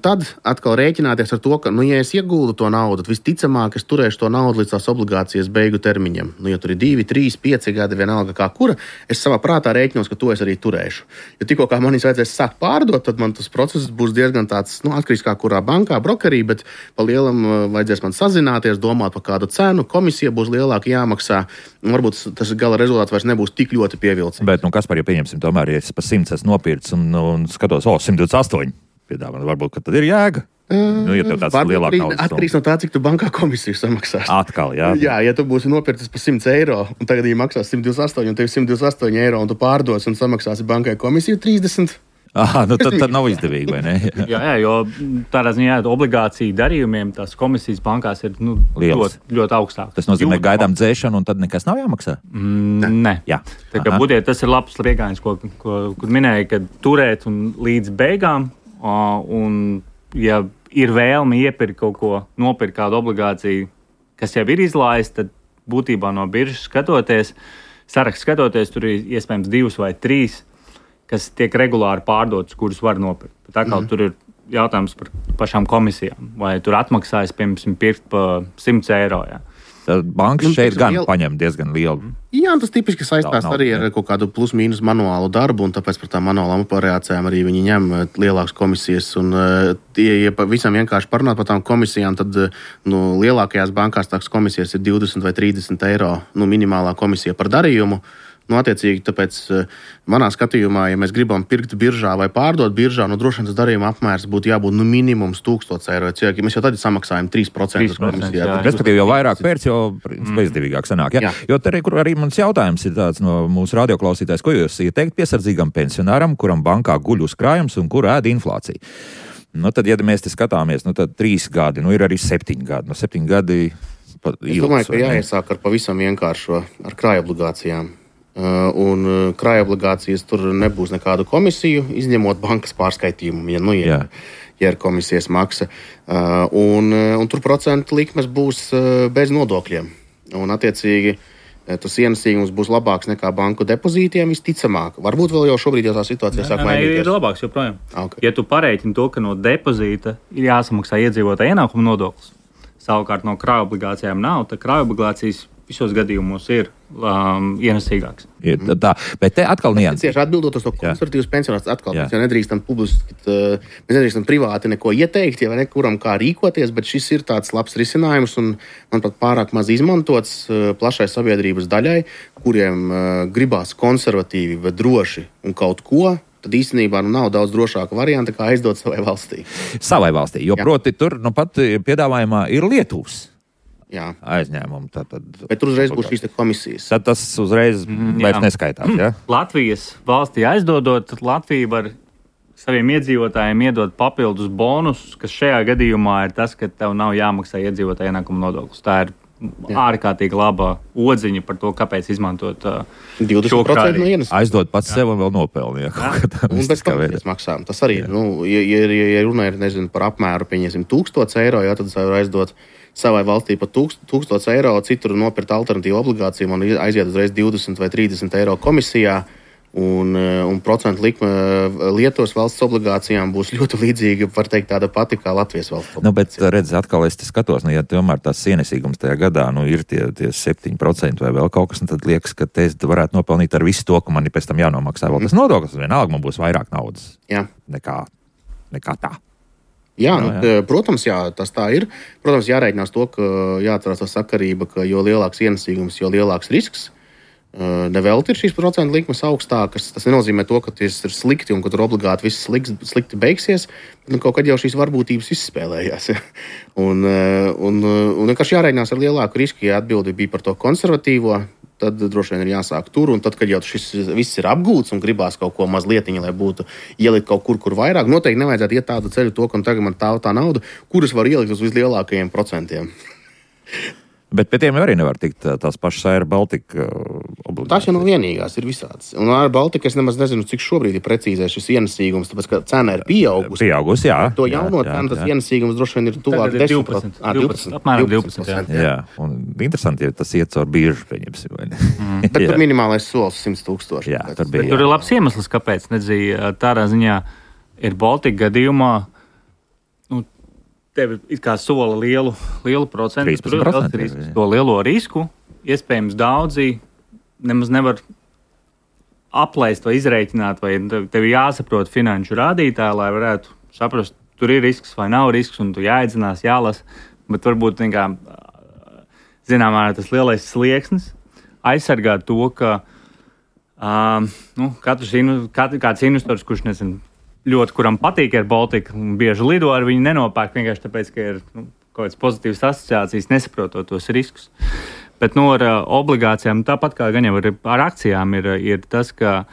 tad atkal rēķināties ar to, ka, ja es ieguldu to naudu, tad visticamāk es turēšu to naudu līdz tās obligācijas beigu termiņam. Ja tur ir 2, 3, 5 gadi, vienalga kā kura, es savā prātā rēķinos, ka to es arī turēšu. Jo tikko kā man vajadzēs sākt pārdot, tad man tas process būs diezgan tāds, atkarīgs kā kurā bankā, brokerī, bet pa lielam vajadzēs man sazināties, domāt par kādu cenu, komisija būs lielāka jāmaksā, un varbūt tas gala rezultāts vairs nebūs tik ļoti pievilcīgs. Bet, kas par, ja pieņemsim, tomēr, ja es pa 100 esmu nopircis un skatos, 128. Piedāvā. Varbūt, ka tad ir jēga. Ja tev tāds lielāks naudas. Atkarīgs no tā, cik tu bankā komisiju samaksās. Atkal, jā. Jā, ja tu būsi nopircis par 100 eiro, un tagad viņi maksās 128, un tev 128 eiro, un tu pārdos un samaksāsi bankai komisiju 30. Tad nav izdevīgi, vai ne? jā, jo tādā ziņā obligāciju darījumiem tās komisijas bankās ir ļoti augstākas. Tas nozīmē, ka gaidām dzēšanu, un tad nekas nav jāmaksā? Nē. Jā. Tā kā būtiet, tas ir labs riegājums, kur minēja, ka turēt un līdz beigām. Un, ja ir vēlme iepirkt kaut ko, nopirkt kādu obligāciju, kas jau ir izlaista, tad būtībā no biržas skatoties, sarakstu skatoties, tur ir iespējams 2 vai 3, kas tiek regulāri pārdotas, kurus var nopirkt. Tā kā tur ir jautājums par pašām komisijām, vai tur atmaksājas, piemēram, pirkt pa 100 eiro. Jā. Bankas šeit gan paņem diezgan lielu. Jā, tas tipiski saistās arī ar kaut kādu plus-mínus manuālu darbu, un tāpēc par tām manuālām operācijām arī viņi ņem lielākas komisijas. Un, ja pavisam vienkārši parunāt par tām komisijām, tad lielākajās bankās tās komisijas ir 20 vai 30 eiro minimālā komisija par darījumu. Attiecīgi, tāpēc manā skatījumā, ja mēs gribam pirkt biržā vai pārdot biržā, droši vien tas darījuma apmērs būtu jābūt minimums 1000 eiro. Mēs jau tad samaksājam 3% komisijā. Respektīvi, jo vairāk pērts, jo bezdevīgāk sanāk. Ja? Jo arī mans jautājums ir tāds no mūsu radioklausītājs, ko jūs ieteikt piesardzīgam pensionāram, kuram bankā guļ uzkrājums un kur ēd inflācija. Tad, ja mēs te skatāmies, tad 3 gadi, ir arī 7 gadi. 7 gadi es domāju, ka jāiesāk ar pavisam vienkāršo, ar krājobligācijām. Un krājobligācijas tur nebūs nekādu komisiju, izņemot bankas pārskaitījumu, ja ir komisijas maksa. Un tur procentu likmes būs bez nodokļiem. Un, attiecīgi, tas ienesīgums būs labāks nekā banku depozītiem, visticamāk. Varbūt vēl jau šobrīd tā situācija sāk mainīties. Ir labāks joprojām. Okay. Ja tu pareiķini to, ka no depozīta ir jāsamaksā iedzīvotāja ienākuma nodoklis, savukārt no krājobligācijām nav, tad krājobligācijas visos gadījumos ir ienesīgāks. Tā, bet te atkal nianses. Tieši atbildot uz to konservatīvus pensionārus, atkal mēs jau nedrīkstam mēs nedrīkstam privāti neko ieteikt, ja nekuram kā rīkoties, bet šis ir tāds labs risinājums un, manuprāt, pārāk maz izmantots plašai sabiedrības daļai, kuriem gribās konservatīvi, bet droši un kaut ko. Tad īstenībā nav daudz drošāka varianta, kā aizdot savai valstī. Savai valstī, jo proti tur pat piedāvājumā ir Lietuvas aizņēmumi. Bet tur uzreiz būs šīs komisijas. Tad tas uzreiz vairs neskaitās. Ja? Latvijas valstī aizdodot, tad Latvija var saviem iedzīvotājiem iedot papildus bonusus, kas šajā gadījumā ir tas, ka tev nav jāmaksā iedzīvotāja ienākuma nodoklis. Tā ir ārkārtīgi laba odziņa par to, kāpēc izmantot 20% no ienesuma. Aizdot pats sev un vēl nopelnīt. Un bez komisijas maksām. Tas arī, ja runa ir par apmēru, pieņemsim 1000 eiro, tad var aizdot savai valstī par 1000 eiro, citur nopirkt alternatīvu obligāciju un aiziet uzreiz 20 vai 30 eiro komisijā. Un procentu likme Lietuvas valsts obligācijām būs ļoti līdzīga, var teikt, tāda pati kā Latvijas valsts obligācija. Bet redz, atkal es skatos, ja tomēr tās ienesīgums tajā gadā ir tie 7% vai vēl kaut kas, tad liekas, ka te varētu nopelnīt ar visu to, ka man ir pēc tam jānomaksā vēl tas nodoklis, vienalga man būs vairāk naudas nekā tā. Jā, protams, tas tā ir. Protams, jārēķinās to, ka jāatcerās tā sakarība, ka jo lielāks ienesīgums, jo lielāks risks. Nevelti ir šīs procentu likmes augstākas. Tas nenozīmē to, ka tas ir slikti un ka tur obligāti viss slikti beigsies. Bet kaut kad jau šīs varbūtības izspēlējās. Un vienkārši jārēķinās ar lielāku risku, ja atbildi bija par to konservatīvo. Tad droši vien ir jāsāk tur, un tad, kad jau šis viss ir apgūts un gribās kaut ko mazlietiņa, lai būtu ielikt kaut kur vairāk, noteikti nevajadzētu iet tādu ceļu to, ka tagad man tā nauda, kuras var ielikt uz vislielākajiem procentiem. Bet pie tiem arī nevar tikt tās pašas Air Baltica obligācijas. Tās jau nav vienīgās, ir visādas. Un Air Baltica es nemaz nezinu, cik šobrīd ir precīzais šis ienesīgums, tāpēc, ka cena ir pieaugusi. Jā. To jauno cenu, tas ienesīgums droši vien ir tuvāk 10%. Apmēram 12%. Jā. Un interesanti, ja tas iet caur biržu, pieņemsim. Bet tur minimālais solis 100,000. Jā, tur ir labs iemesls, kāpēc tādā ziņā ir Baltika gadījumā. Tev ir kā sola lielu procentu. 13%. To lielo risku. Iespējams, daudzi nemaz nevar aplaist vai izreikināt, vai tev jāsaprot finanšu rādītāji, lai varētu saprast, tur ir risks vai nav risks, un tu jāiedzinās, jālasa. Bet varbūt zināmā tas lielais slieksnis aizsargāt to, ka kāds investors, kurš ļoti, kuram patīk Air Baltica un bieži lido ar viņu, nenopērk vienkārši tāpēc, ka ir kaut kādas pozitīvas asociācijas, nesaprotot tos riskus. Bet ar obligācijām, tāpat kā gan jau ar akcijām, ir tas, ka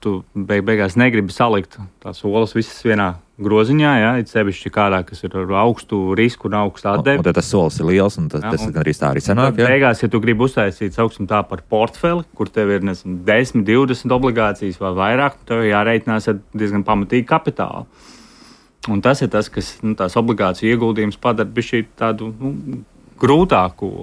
tu beigās negribi salikt tās olas visas vienā groziņā, it sevišķi kādā, kas ir ar augstu risku un augstu atdevi. Un tad tas solis ir liels, un tas arī tā arī sanāk. Beigās, ja tu gribi uztaisīt, sauksim tā par portfeli, kur tev ir 10, 20 obligācijas vai vairāk, tev jāreitinās ar diezgan pamatīgu kapitālu. Un tas ir tas, kas tās obligāciju ieguldījums padara bišķi tādu grūtāku,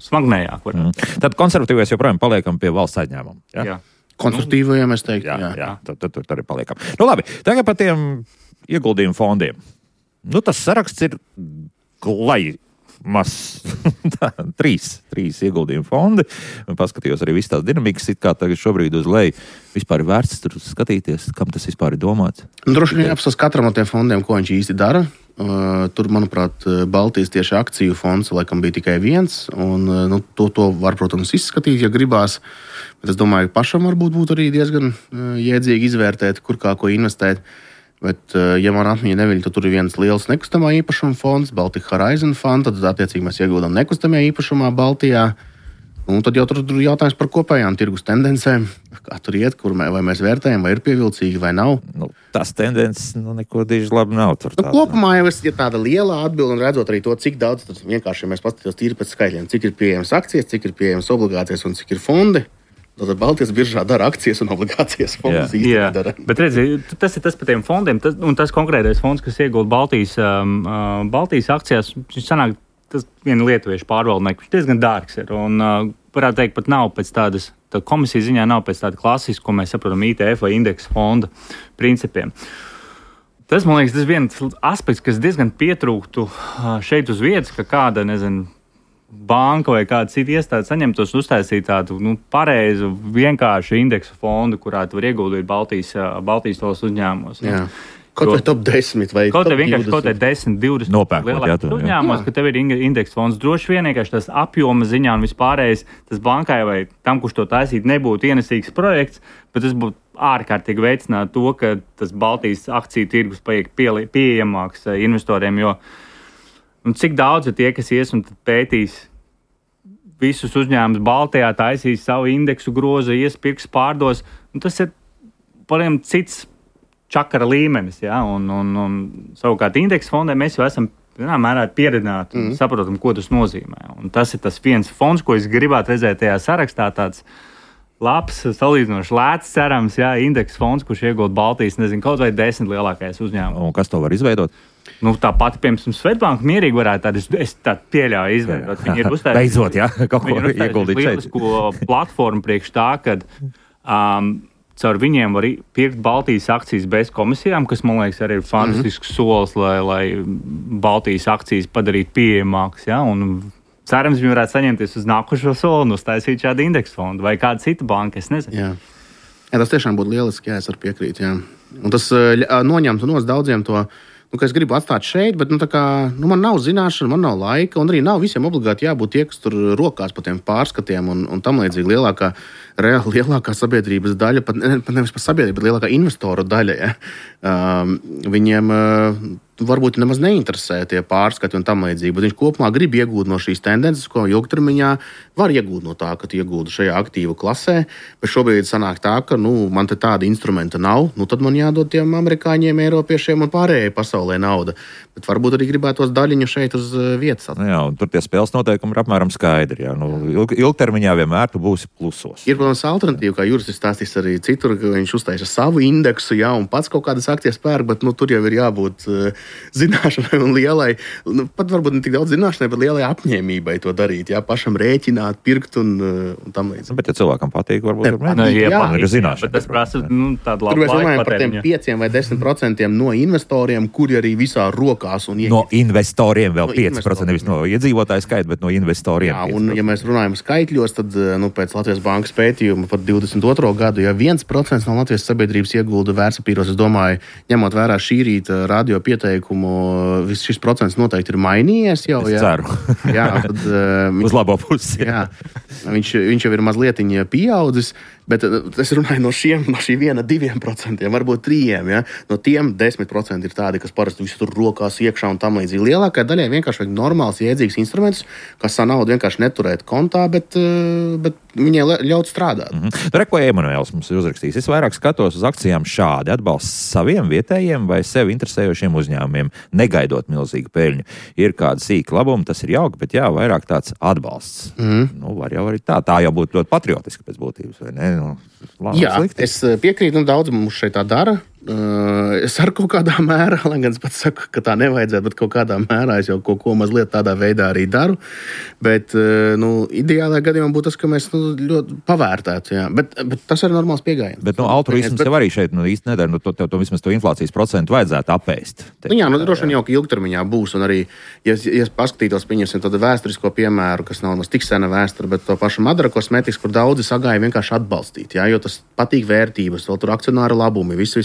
smagnējāku. Tad konservatīvais joprojām paliekam pie valsts aizņēmuma. Jā. Konstruktīvajiem es teiktu. Jā. Tur arī paliekam. Labi, tagad par tiem ieguldījumu fondiem. Tas saraksts ir glai mazs. Trīs ieguldījumu fondi. Paskatījos arī visu tās dinamikas, it kā tagad šobrīd uz leju vispār ir vērts tur skatīties, kam tas vispār ir domāts. Droši vien jāapsas katram no tiem fondiem, ko viņš īsti dara. Tur, manuprāt, Baltijas tieši akciju fonds laikam bija tikai viens. Un, to var, protams, izskatīt, ja gribās. Bet es domāju, ka pašam varbūt būtu arī diezgan jēdzīgi izvērtēt, kur kā ko investēt. Bet, ja man atmiņa neviļ, tad tur ir viens liels nekustamā īpašuma fonds, Baltic Horizon Fund, tad attiecīgi mēs ieguldam nekustamajā īpašumā Baltijā. Un tad jau tur ir jautājums par kopējām tirgus tendencēm, kā tur iet, vai mēs vērtējam, vai ir pievilcīgi, vai nav. Tas tendences neko diži labi nav. Kopumā jau ir tāda liela atbilde, un redzot arī to, cik daudz vienkārši mēs paskatītos tīri pēc skaitļiem, cik ir pieejamas akcijas, cik ir pieejamas obligācijas un cik ir fondi. Tad Baltijas biržā dara akcijas un obligācijas fondus īstenībā dara. Bet redzi, tas ir tas par tiem fondiem, un tas konkrētais fonds, kas iegulda Baltijas akcijās, viņš sanāk, tas viena lietuviešu pārvaldnieka, viņš diezgan dārgs ir. Un varētu teikt, pat nav pēc tādas, tā komisija ziņā nav pēc tāda klasisku, ko mēs saprotam, ITF vai indeksa fonda principiem. Tas, man liekas, tas viens aspekts, kas diezgan pietrūktu šeit uz vietas, ka kāda, banka vai kāda cita iestāde saņemtos un uztaisīt tādu pareizu, vienkāršu indeksu fondu, kurā tu var ieguldīt Baltijas tos uzņēmumos. Jā. Kaut vai top 10 vai kaut vai vienkārši kaut vai 10, 20 lielākos uzņēmumos, ka tev ir indeksa fonds. Droši vien vienkārši tas apjoma ziņā un vispārējais, tas bankai vai tam, kurš to taisīt, nebūtu ienesīgs projekts, bet tas būtu ārkārtīgi veicināt to, ka tas Baltijas akciju tirgus paiek pieejamāks investoriem, jo cik daudz ir tie, kas ies un pētīs visus uzņēmumus Baltijā, taisīs savu indeksu grozu, iespirks, pārdos, un tas ir pariem cits čakara līmenis, ja? un savukārt indeksa fondē mēs jau esam mērā pieredzināti un saprotam, ko tas nozīmē. Un tas ir tas viens fonds, ko es gribētu redzēt tajā sarakstā, tāds labs, salīdzinoši lēts, cerams, indeksa fonds, kurš iegūst Baltijas, kaut vai 10 lielākais uzņēmums. Un kas to var izveidot? Tā pati, piemēram, Svetbanka mierīgi varētu tādu, es tādu pieļauju izveidot. Viņi ir uztaisījuši. Beidzot, kaut ko ieguldīt šeit. Lielisku platformu priekš tā, kad caur viņiem var pirkt Baltijas akcijas bez komisijām, kas, man liekas, arī ir fantastisks solis, lai Baltijas akcijas padarītu pieejamākas. Ja? Un cerams, viņi varētu saņemties uz nākošo soli un uztaisīt šādu indeksu fondu vai kādu citu banku, es nezinu. Jā, tas tiešām būtu lieliski, es varu piekrīt. Jā. Un tas noņemtu no daudziem to, ka es gribu atstāt šeit, bet man nav zināšana, man nav laika, un arī nav visiem obligāti jābūt tie, kas tur rokās pa tiem pārskatiem un tam līdzīgi lielākā sabiedrības daļa, pat nevis par sabiedrību, bet lielākā investoru daļa. Ja? Viņiem varbūt nemaz neinteresē tie pārskati un tam līdzīgi, bet viņš kopumā grib iegūt no šīs tendences, ko ilgtermiņā var iegūt no tā, ka tu iegūti šajā aktīvu klasē, bet šobrīd sanāk tā, ka man te tāda instrumenta nav, tad man jādod tiem amerikāņiem, eiropiešiem un pārējai pasaulē nauda. Bet varbūt arī gribētos daļiņu šeit uz vietas. Jā, un tur tie spēles noteikumi ir apmēram skaidri. Jā. Ilgtermiņā vienmēr tu būsi plusos. Ir, protams, alternatīva, kā Juris ir stāstījis arī citur, ka viņš uztaisa savu indeksu, jā, un pats kaut kādas akcijas pērk, bet tur jau ir jābūt zināšanai un lielai, pat varbūt ne tik daudz zināšanai, bet lielai apņēmībai to darīt, jā, pašam rēķināt, pirkt un tam līdz. Bet, ja cilvēkam patīk, varbūt ir zināšana. Bet tas prasa tādu labu laiku patēriņu. Tur mēs runājam par tiem 5 vai 10% no investoriem, kuri arī visā rokās un no investoriem vēl 5%, nevis no iedzīvotāju skaita, bet no investoriem. Jā, un ja mēs runājam skaitļos, tad pēc Latvijas bankas pētījuma par 22. gadu, ja 1% no Latvijas sabiedrības iegulda vērtspapīros, es domāju, ņemot vērā šī rīta radio pieteikumu, šis procents noteikti ir mainījies jau. Es ceru. Jā, tad, uz labo pusi. Jā, viņš jau ir mazlietiņ pieaudzis, bet es runāju no šī 1-2%, varbūt 3%. Ja? No tiem 10% ir tādi, kas parasti visu tur rokās iekšā un tam līdzīgi. Lielākai daļai vienkārši vajag normāls, jēdzīgs instruments, kas savu naudu vienkārši neturēt kontā, bet viņai ļaut strādāt. Ko Emanuēls mums ir uzrakstījis? Es vairāk skatos uz akcijām šādi, atbalsts saviem vietējiem vai sevi interesējošiem uzņēmumiem, negaidot milzīgu peļņu. Ir kāda sīka labuma, tas ir jauki, bet vairāk tāds atbalsts. Var jau arī tā. Tā jau būtu ļoti patriotiski pēc būtības, vai ne? Jā, slikti. Es piekrītu, daudz mums šeit tā dara. Es ar kaut kādā mērā, lai gan es pats saku, ka tā nevajadzētu, bet kaut kādā mērā es jau kaut ko mazliet tādā veidā arī daru. Bet, ideālajā gadījumā būtu tas, ka mēs ļoti pavērtētu. Jā. Bet tas ir normāls pieejams. Bet altruisms jau arī šeit īsti nedara. To vismaz to inflācijas procentu vajadzētu apēst. Droši vien jau, ka ilgtermiņā būs. Un arī, ja paskatītos, pieņemsim tādu vēsturisko piemēru, kas nav tik sena vēsture, bet to pašu Madara kosmetikas, kur daudzi sagāja vienkārši atbalstīt. Jā, jo tas patīk vērtības, vēl tur akcionāra labumi, viss.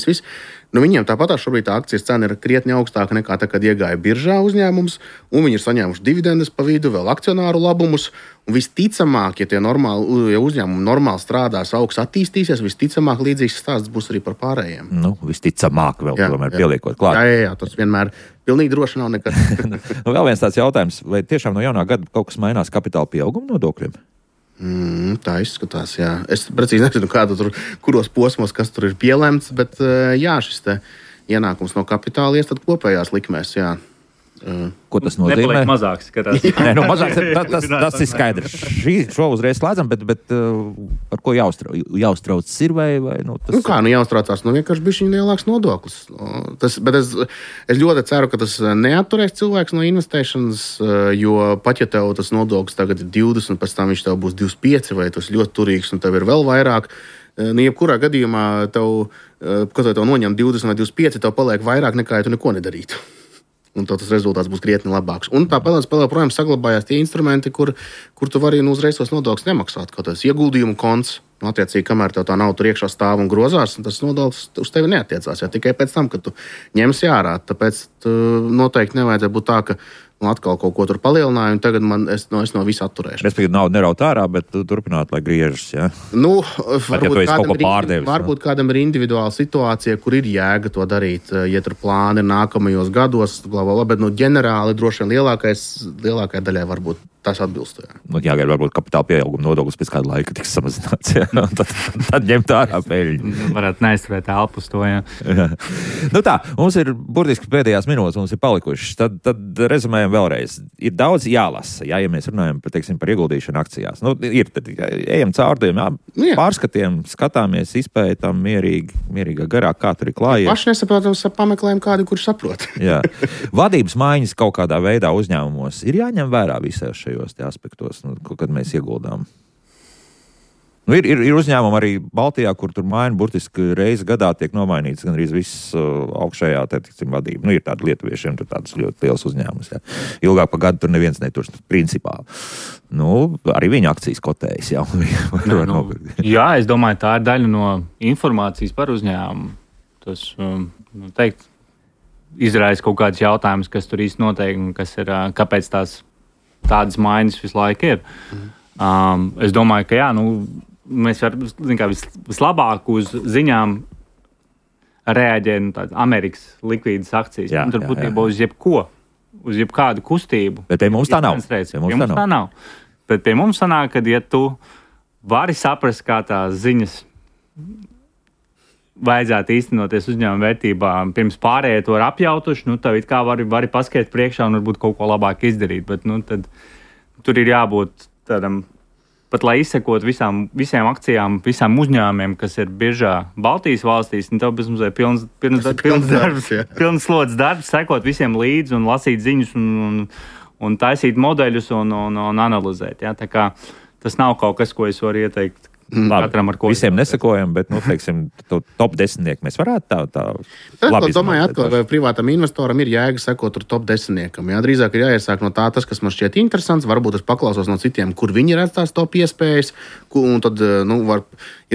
Viņiem tāpat šobrīd tā akcijas cena ir krietni augstāka nekā tā, kad iegāja biržā uzņēmums, un viņi ir saņēmuši dividendes pa vidu, vēl akcionāru labumus. Un visticamāk, ja uzņēmumi normāli strādās, augs attīstīsies, visticamāk līdzīgs stāsts būs arī par pārējiem. Visticamāk vēl tomēr pieliekot klāt. Jā, tas vienmēr pilnīgi droši nav nekad. Vēl viens tāds jautājums, vai tiešām no jaunā gada kaut kas mainās kapitāla pieauguma nodokļiem? Tā izskatās, jā. Es precīzi nezinu, kuros posmos, kas tur ir pielemts, bet jā, šis te ienākums no kapitāla ies tad kopējās likmēs, jā. Ko tas nozīmē? Nepaliek mazāks, skatās. Mazāks tas ir skaidrs. Šo uzreiz slēdzam, bet par ko jāuztrauc ir vai tas... Jāuztraucās, vienkārši bišķiņ lielāks nodoklis. Bet es ļoti ceru, ka tas neatturēs cilvēks no investēšanas, jo pat ja tev tas nodoklis tagad ir 20, pēc tam viņš tev būs 25, vai tas ļoti turīgs un tev ir vēl vairāk, jebkurā gadījumā tev, kad tev noņem 20 vai 25, tev paliek vairāk nekā, ja tu neko nedarītu. Un tas rezultāts būs krietni labāks. Un tāpēc projām saglabājās tie instrumenti, kur tu vari uzreiz tos nodokļus nemaksāt. Kaut tas ieguldījumu konts, attiecīgi, kamēr tev tā nav tur iekšā stāv un grozās, tas nodoklis uz tevi neatiecās. Tikai pēc tam, kad tu ņemsi ārā. Tāpēc noteikti nevajadzētu būt tā, ka atkal kaut ko tur palielināju, un tagad es no visa atturēšu. Respektīvi, nauda neraut ārā, bet turpināt, lai griežas, ja? Varbūt kādam ir individuāla situācija, kur ir jēga to darīt, ja tur plāni ir nākamajos gados, bet ģenerāli droši vien lielākajai daļai varbūt tas atbilst. Jāgaida, varbūt kapitāla pieauguma nodoklis pēc kāda laika tiks samazināts, ja? Tad ņemt ārā peļņu. Varētu neizturēt elpu uz to, jā. Tā, mums ir burtiski pēdējās minūtes, mums ir palikušas. Tad rezumējam vēlreiz. Ir daudz jālasa, ja mēs runājam par ieguldīšanu akcijās. Tad ejam caur tiem pārskatiem, skatāmies, izpētam mierīgā garā, kā tur ir klājies. Paši nesaprotams, pameklējam kādu, kurš saprot. Jā. Vadības maiņas kaut kādā veidā uzņēmumos ir jāņem vērā visās šajos aspektos, kad mēs ieguldām. Ir uzņēmumi arī Baltijā, kur tur maina burtiski reizi gadā tiek nomainīts gan arī viss augšējā vadība. Ir tādi lietuviešiem, tur tāds ļoti liels uzņēmums. Jā. Ilgāk pa gadu tur neviens neturs principā. Arī viņa akcijas kotējas. Jā, es domāju, tā ir daļa no informācijas par uzņēmumu. Tas, teikt, izraisa kaut kāds jautājums, kas tur īsti notiek un kas ir, kāpēc tādas maiņas visu laiku ir. Es domāju, ka jā, mēs varam vislabāk uz ziņām reaģēt tādas Amerikas likvīdas akcijas. Tur būtībā uz jebko, uz jebkādu kustību. Bet pie mums tā nav. Tā nav. Bet pie mums sanāk, ka ja tu vari saprast, kā tās ziņas vajadzētu īstenoties uzņēmuma vērtībām, pirms pārējie to ir apjautuši, tev it kā vari paskriet priekšā un varbūt kaut ko labāk izdarīt. Bet tad tur ir jābūt tādam, pat lai izsekot visiem akcijām, visām uzņēmumiem, kas ir biržā Baltijas valstīs, tev bezmazliet pilns slodzes darbs, sekot visiem līdzi un lasīt ziņas un taisīt modeļus un analizēt. Ja? Tā kā tas nav kaut kas, ko es varu ieteikt. Katram, visiem nesakojam, bet, top 10 mēs varētu tā labi izmantot. Domāju, atkal, vai privātam investoram ir jēga sekot tur top 10. Jā, drīzāk ir jāiesāk no tas, kas man šķiet interesants, varbūt es paklausos no citiem, kur viņi redz tās top iespējas, un tad,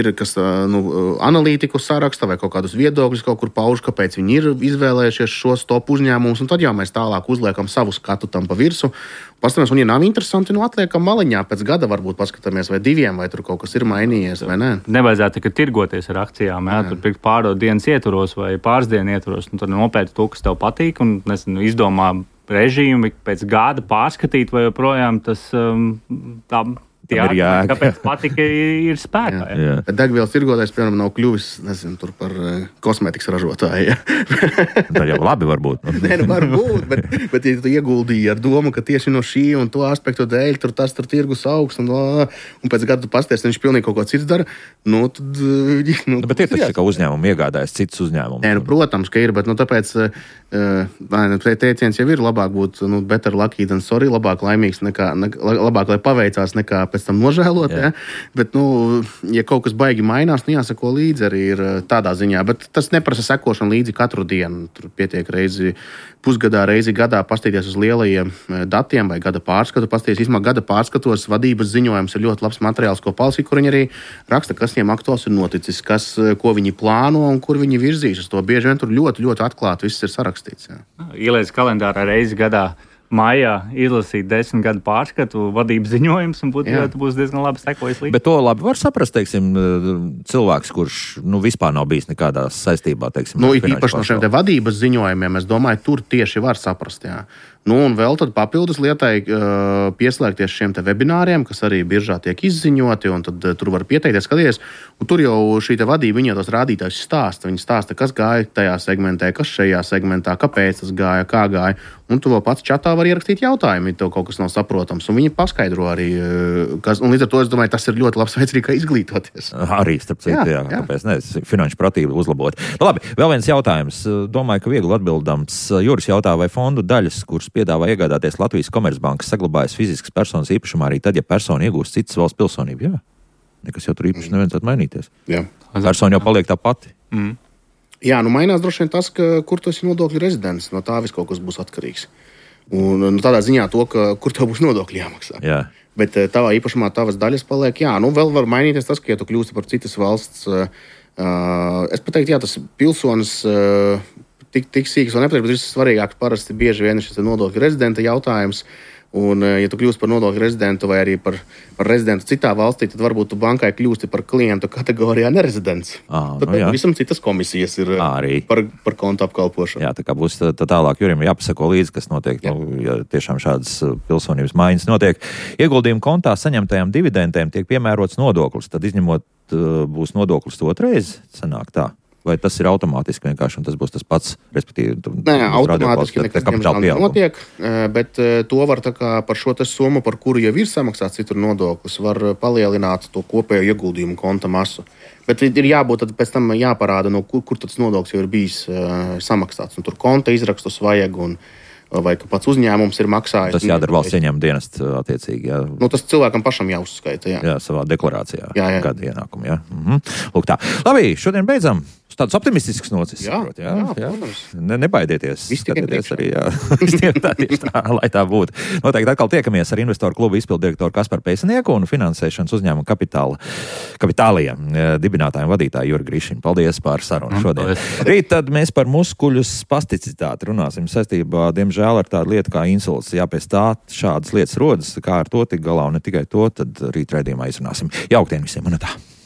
ir kas, analītiku saraksta vai kaut kādus viedokļus kaut kur pauž, kāpēc viņi ir izvēlējušies šos top uzņēmumus, un tad jau mēs tālāk uzliekam savu skatu tam pa virsu. Paskatāmies, un ja nav interesanti, atliekam maliņā pēc gada varbūt paskatāmies vai 2, vai tur kaut kas ir mainījies, vai ne? Nevajadzētu tikai tirgoties ar akcijām, tur pirkt pārdot dienas ietvaros vai pāris dienu ietvaros, un tur nopēti to, kas tev patīk, un izdomā režīmu pēc gada pārskatīt, vai joprojām tas tā. Kāpēc patika ir spēkā? Jā. Degvielas tirgotājs, piemēram, nav kļuvis, tur par kosmētikas ražotāju. Tā jau labi varbūt. Varbūt, bet ja tu ieguldīji ar domu, ka tieši no šī un to aspektu dēļ tur tirgus augs, un pēc gada tu pasties, viņš pilnīgi kaut ko cits dara, tad... Bet ir taču, ka uzņēmumi iegādājas citus uzņēmumus. Protams, ka ir, bet tāpēc teiciens jau ir labāk būt better lucky than sorry, labāk laimīgs labāk, lai paveicās nekā pēc tam nožēlot. Ja? Bet, ja kaut kas baigi mainās, jāsako līdzi arī ir tādā ziņā. Bet tas neprasa sekošanu līdzi katru dienu. Tur pietiek reizi pusgadā, reizi gadā pastīties uz lielajiem datiem vai gada pārskatu. Pastīties, vismaz gada pārskatos vadības ziņojums ir ļoti labs materiāls, ko palasīt, kur viņi arī raksta, kas viņiem aktuāls ir noticis, ko viņi plāno un kur viņi virzīs uz to. Bieži vien tur ļoti, ļoti atklāti viss ir sarakstīts. Ja. Ieliec kalendārā reizi gadā. Maijā izlasīt 10 gadu pārskatu, vadības ziņojums, un būs diezgan labi sekojis līdzi. Bet to labi var saprast, teiksim, cilvēks, kurš vispār nav bijis nekādās saistībā, teiksim. Īpaši no šiem vadības ziņojumiem, es domāju, tur tieši var saprast, jā. Un vēl tad papildus lietai pieslēgties šiem te webināriem, kas arī biržā tiek izziņoti, un tad tur var pieteikties, skatīties. Un tur jau šī te vadība, viņa tos rādītājus stāsta. Viņi stāsta, kas gāja tajā segmentē, kas šajā segmentā, kāpēc tas gāja, kā gāja. Un tu vēl pats čatā var ierakstīt jautājumu, ja tev kaut kas nav saprotams. Un viņi paskaidro arī, un līdz ar to es domāju, tas ir ļoti labs veids arī, kā izglītoties. Arī, starp citu, jā. Kāpēc ne? Finanšu pratību uzlabot. Labi, vēl viens jautājums. Domāju, ka viegli atbildams. Juris jautā, vai fondu daļas, kuras piedāvā iegādāties Latvijas Komercbankas, saglabājas fiziskas personas īpašumā arī tad, ja persona iegūst citas valsts pilsonību? Jā. Nekas jau tur īpaši nevajadzētu mainīties. Jā. Persona jau paliek tā pati. Jā, mainās droši vien tas, kur tu esi nodokļu rezidents. No tā viss kaut kas būs atkarīgs. Un tādā ziņā to, kur tev būs nodokļi jāmaksā. Jā. Bet tavā īpašumā tavas daļas paliek. Jā, vēl var mainīties tas, ka ja tu kļūsti par citas valsts. Es pateiktu, jā, tas pilsonis tik sīks un nepateikt, bet viss svarīgāk parasti bieži vien ir šis nodokļu rezidenta jautājums. Un, ja tu kļūsi par nodokļu rezidentu vai arī par rezidentu citā valstī, tad varbūt tu bankai kļūsti par klientu kategorijā nerezidents. Tad visam citas komisijas ir par kontu apkalpošanu. Jā, tā kā būs tālāk Jurim jāpasako līdzi, kas notiek, ja tiešām šādas pilsonības maiņas notiek. Ieguldījumu kontā saņemtajām dividendēm tiek piemērots nodoklis, tad izņemot būs nodoklis otrais, sanāk tā. Vai tas ir automātiski vienkārši, un tas būs tas pats, respektīvi... Nē, automātiski nekas notiek, bet to var tā kā par šo summu, par kuru jau ir samaksāts citur nodoklis, var palielināt to kopējo ieguldījumu konta masu. Bet ir jābūt, tad pēc tam jāparāda, kur tas nodoklis jau ir bijis samaksāts. Un tur konta izrakstus vajag, vai ka pats uzņēmums ir maksājis. Tas jādara valsts ieņēmuma dienests attiecīgi. Jā. Tas cilvēkam pašam jāuzskaita. Jā, savā deklarācijā. Jā. Gada ienākumu, jā. Lūk tā. Labi, šodien beidzam. Tāds optimistisks nocis. Jā, protams. Nebaidieties. Skatīties arī, jā. Tieši tā, lai tā būtu. Noteikti atkal tiekamies ar Investoru klubu izpilddirektoru Kasparu Pēcnieku un finansēšanas uzņēmumu kapitāliem dibinātājiem vadītāju Juri Grišinu. Paldies par sarunu šodien. Rīt tad mēs par muskuļu spasticitāti runāsim saistībā, diemžēl, ar tādu lietu kā insults. Jā, pēc tā šādas lietas rodas, kā ar to tik galā un ne tikai to, tad rīt raidījumā izrunāsim. Jauktdien visiem un tā.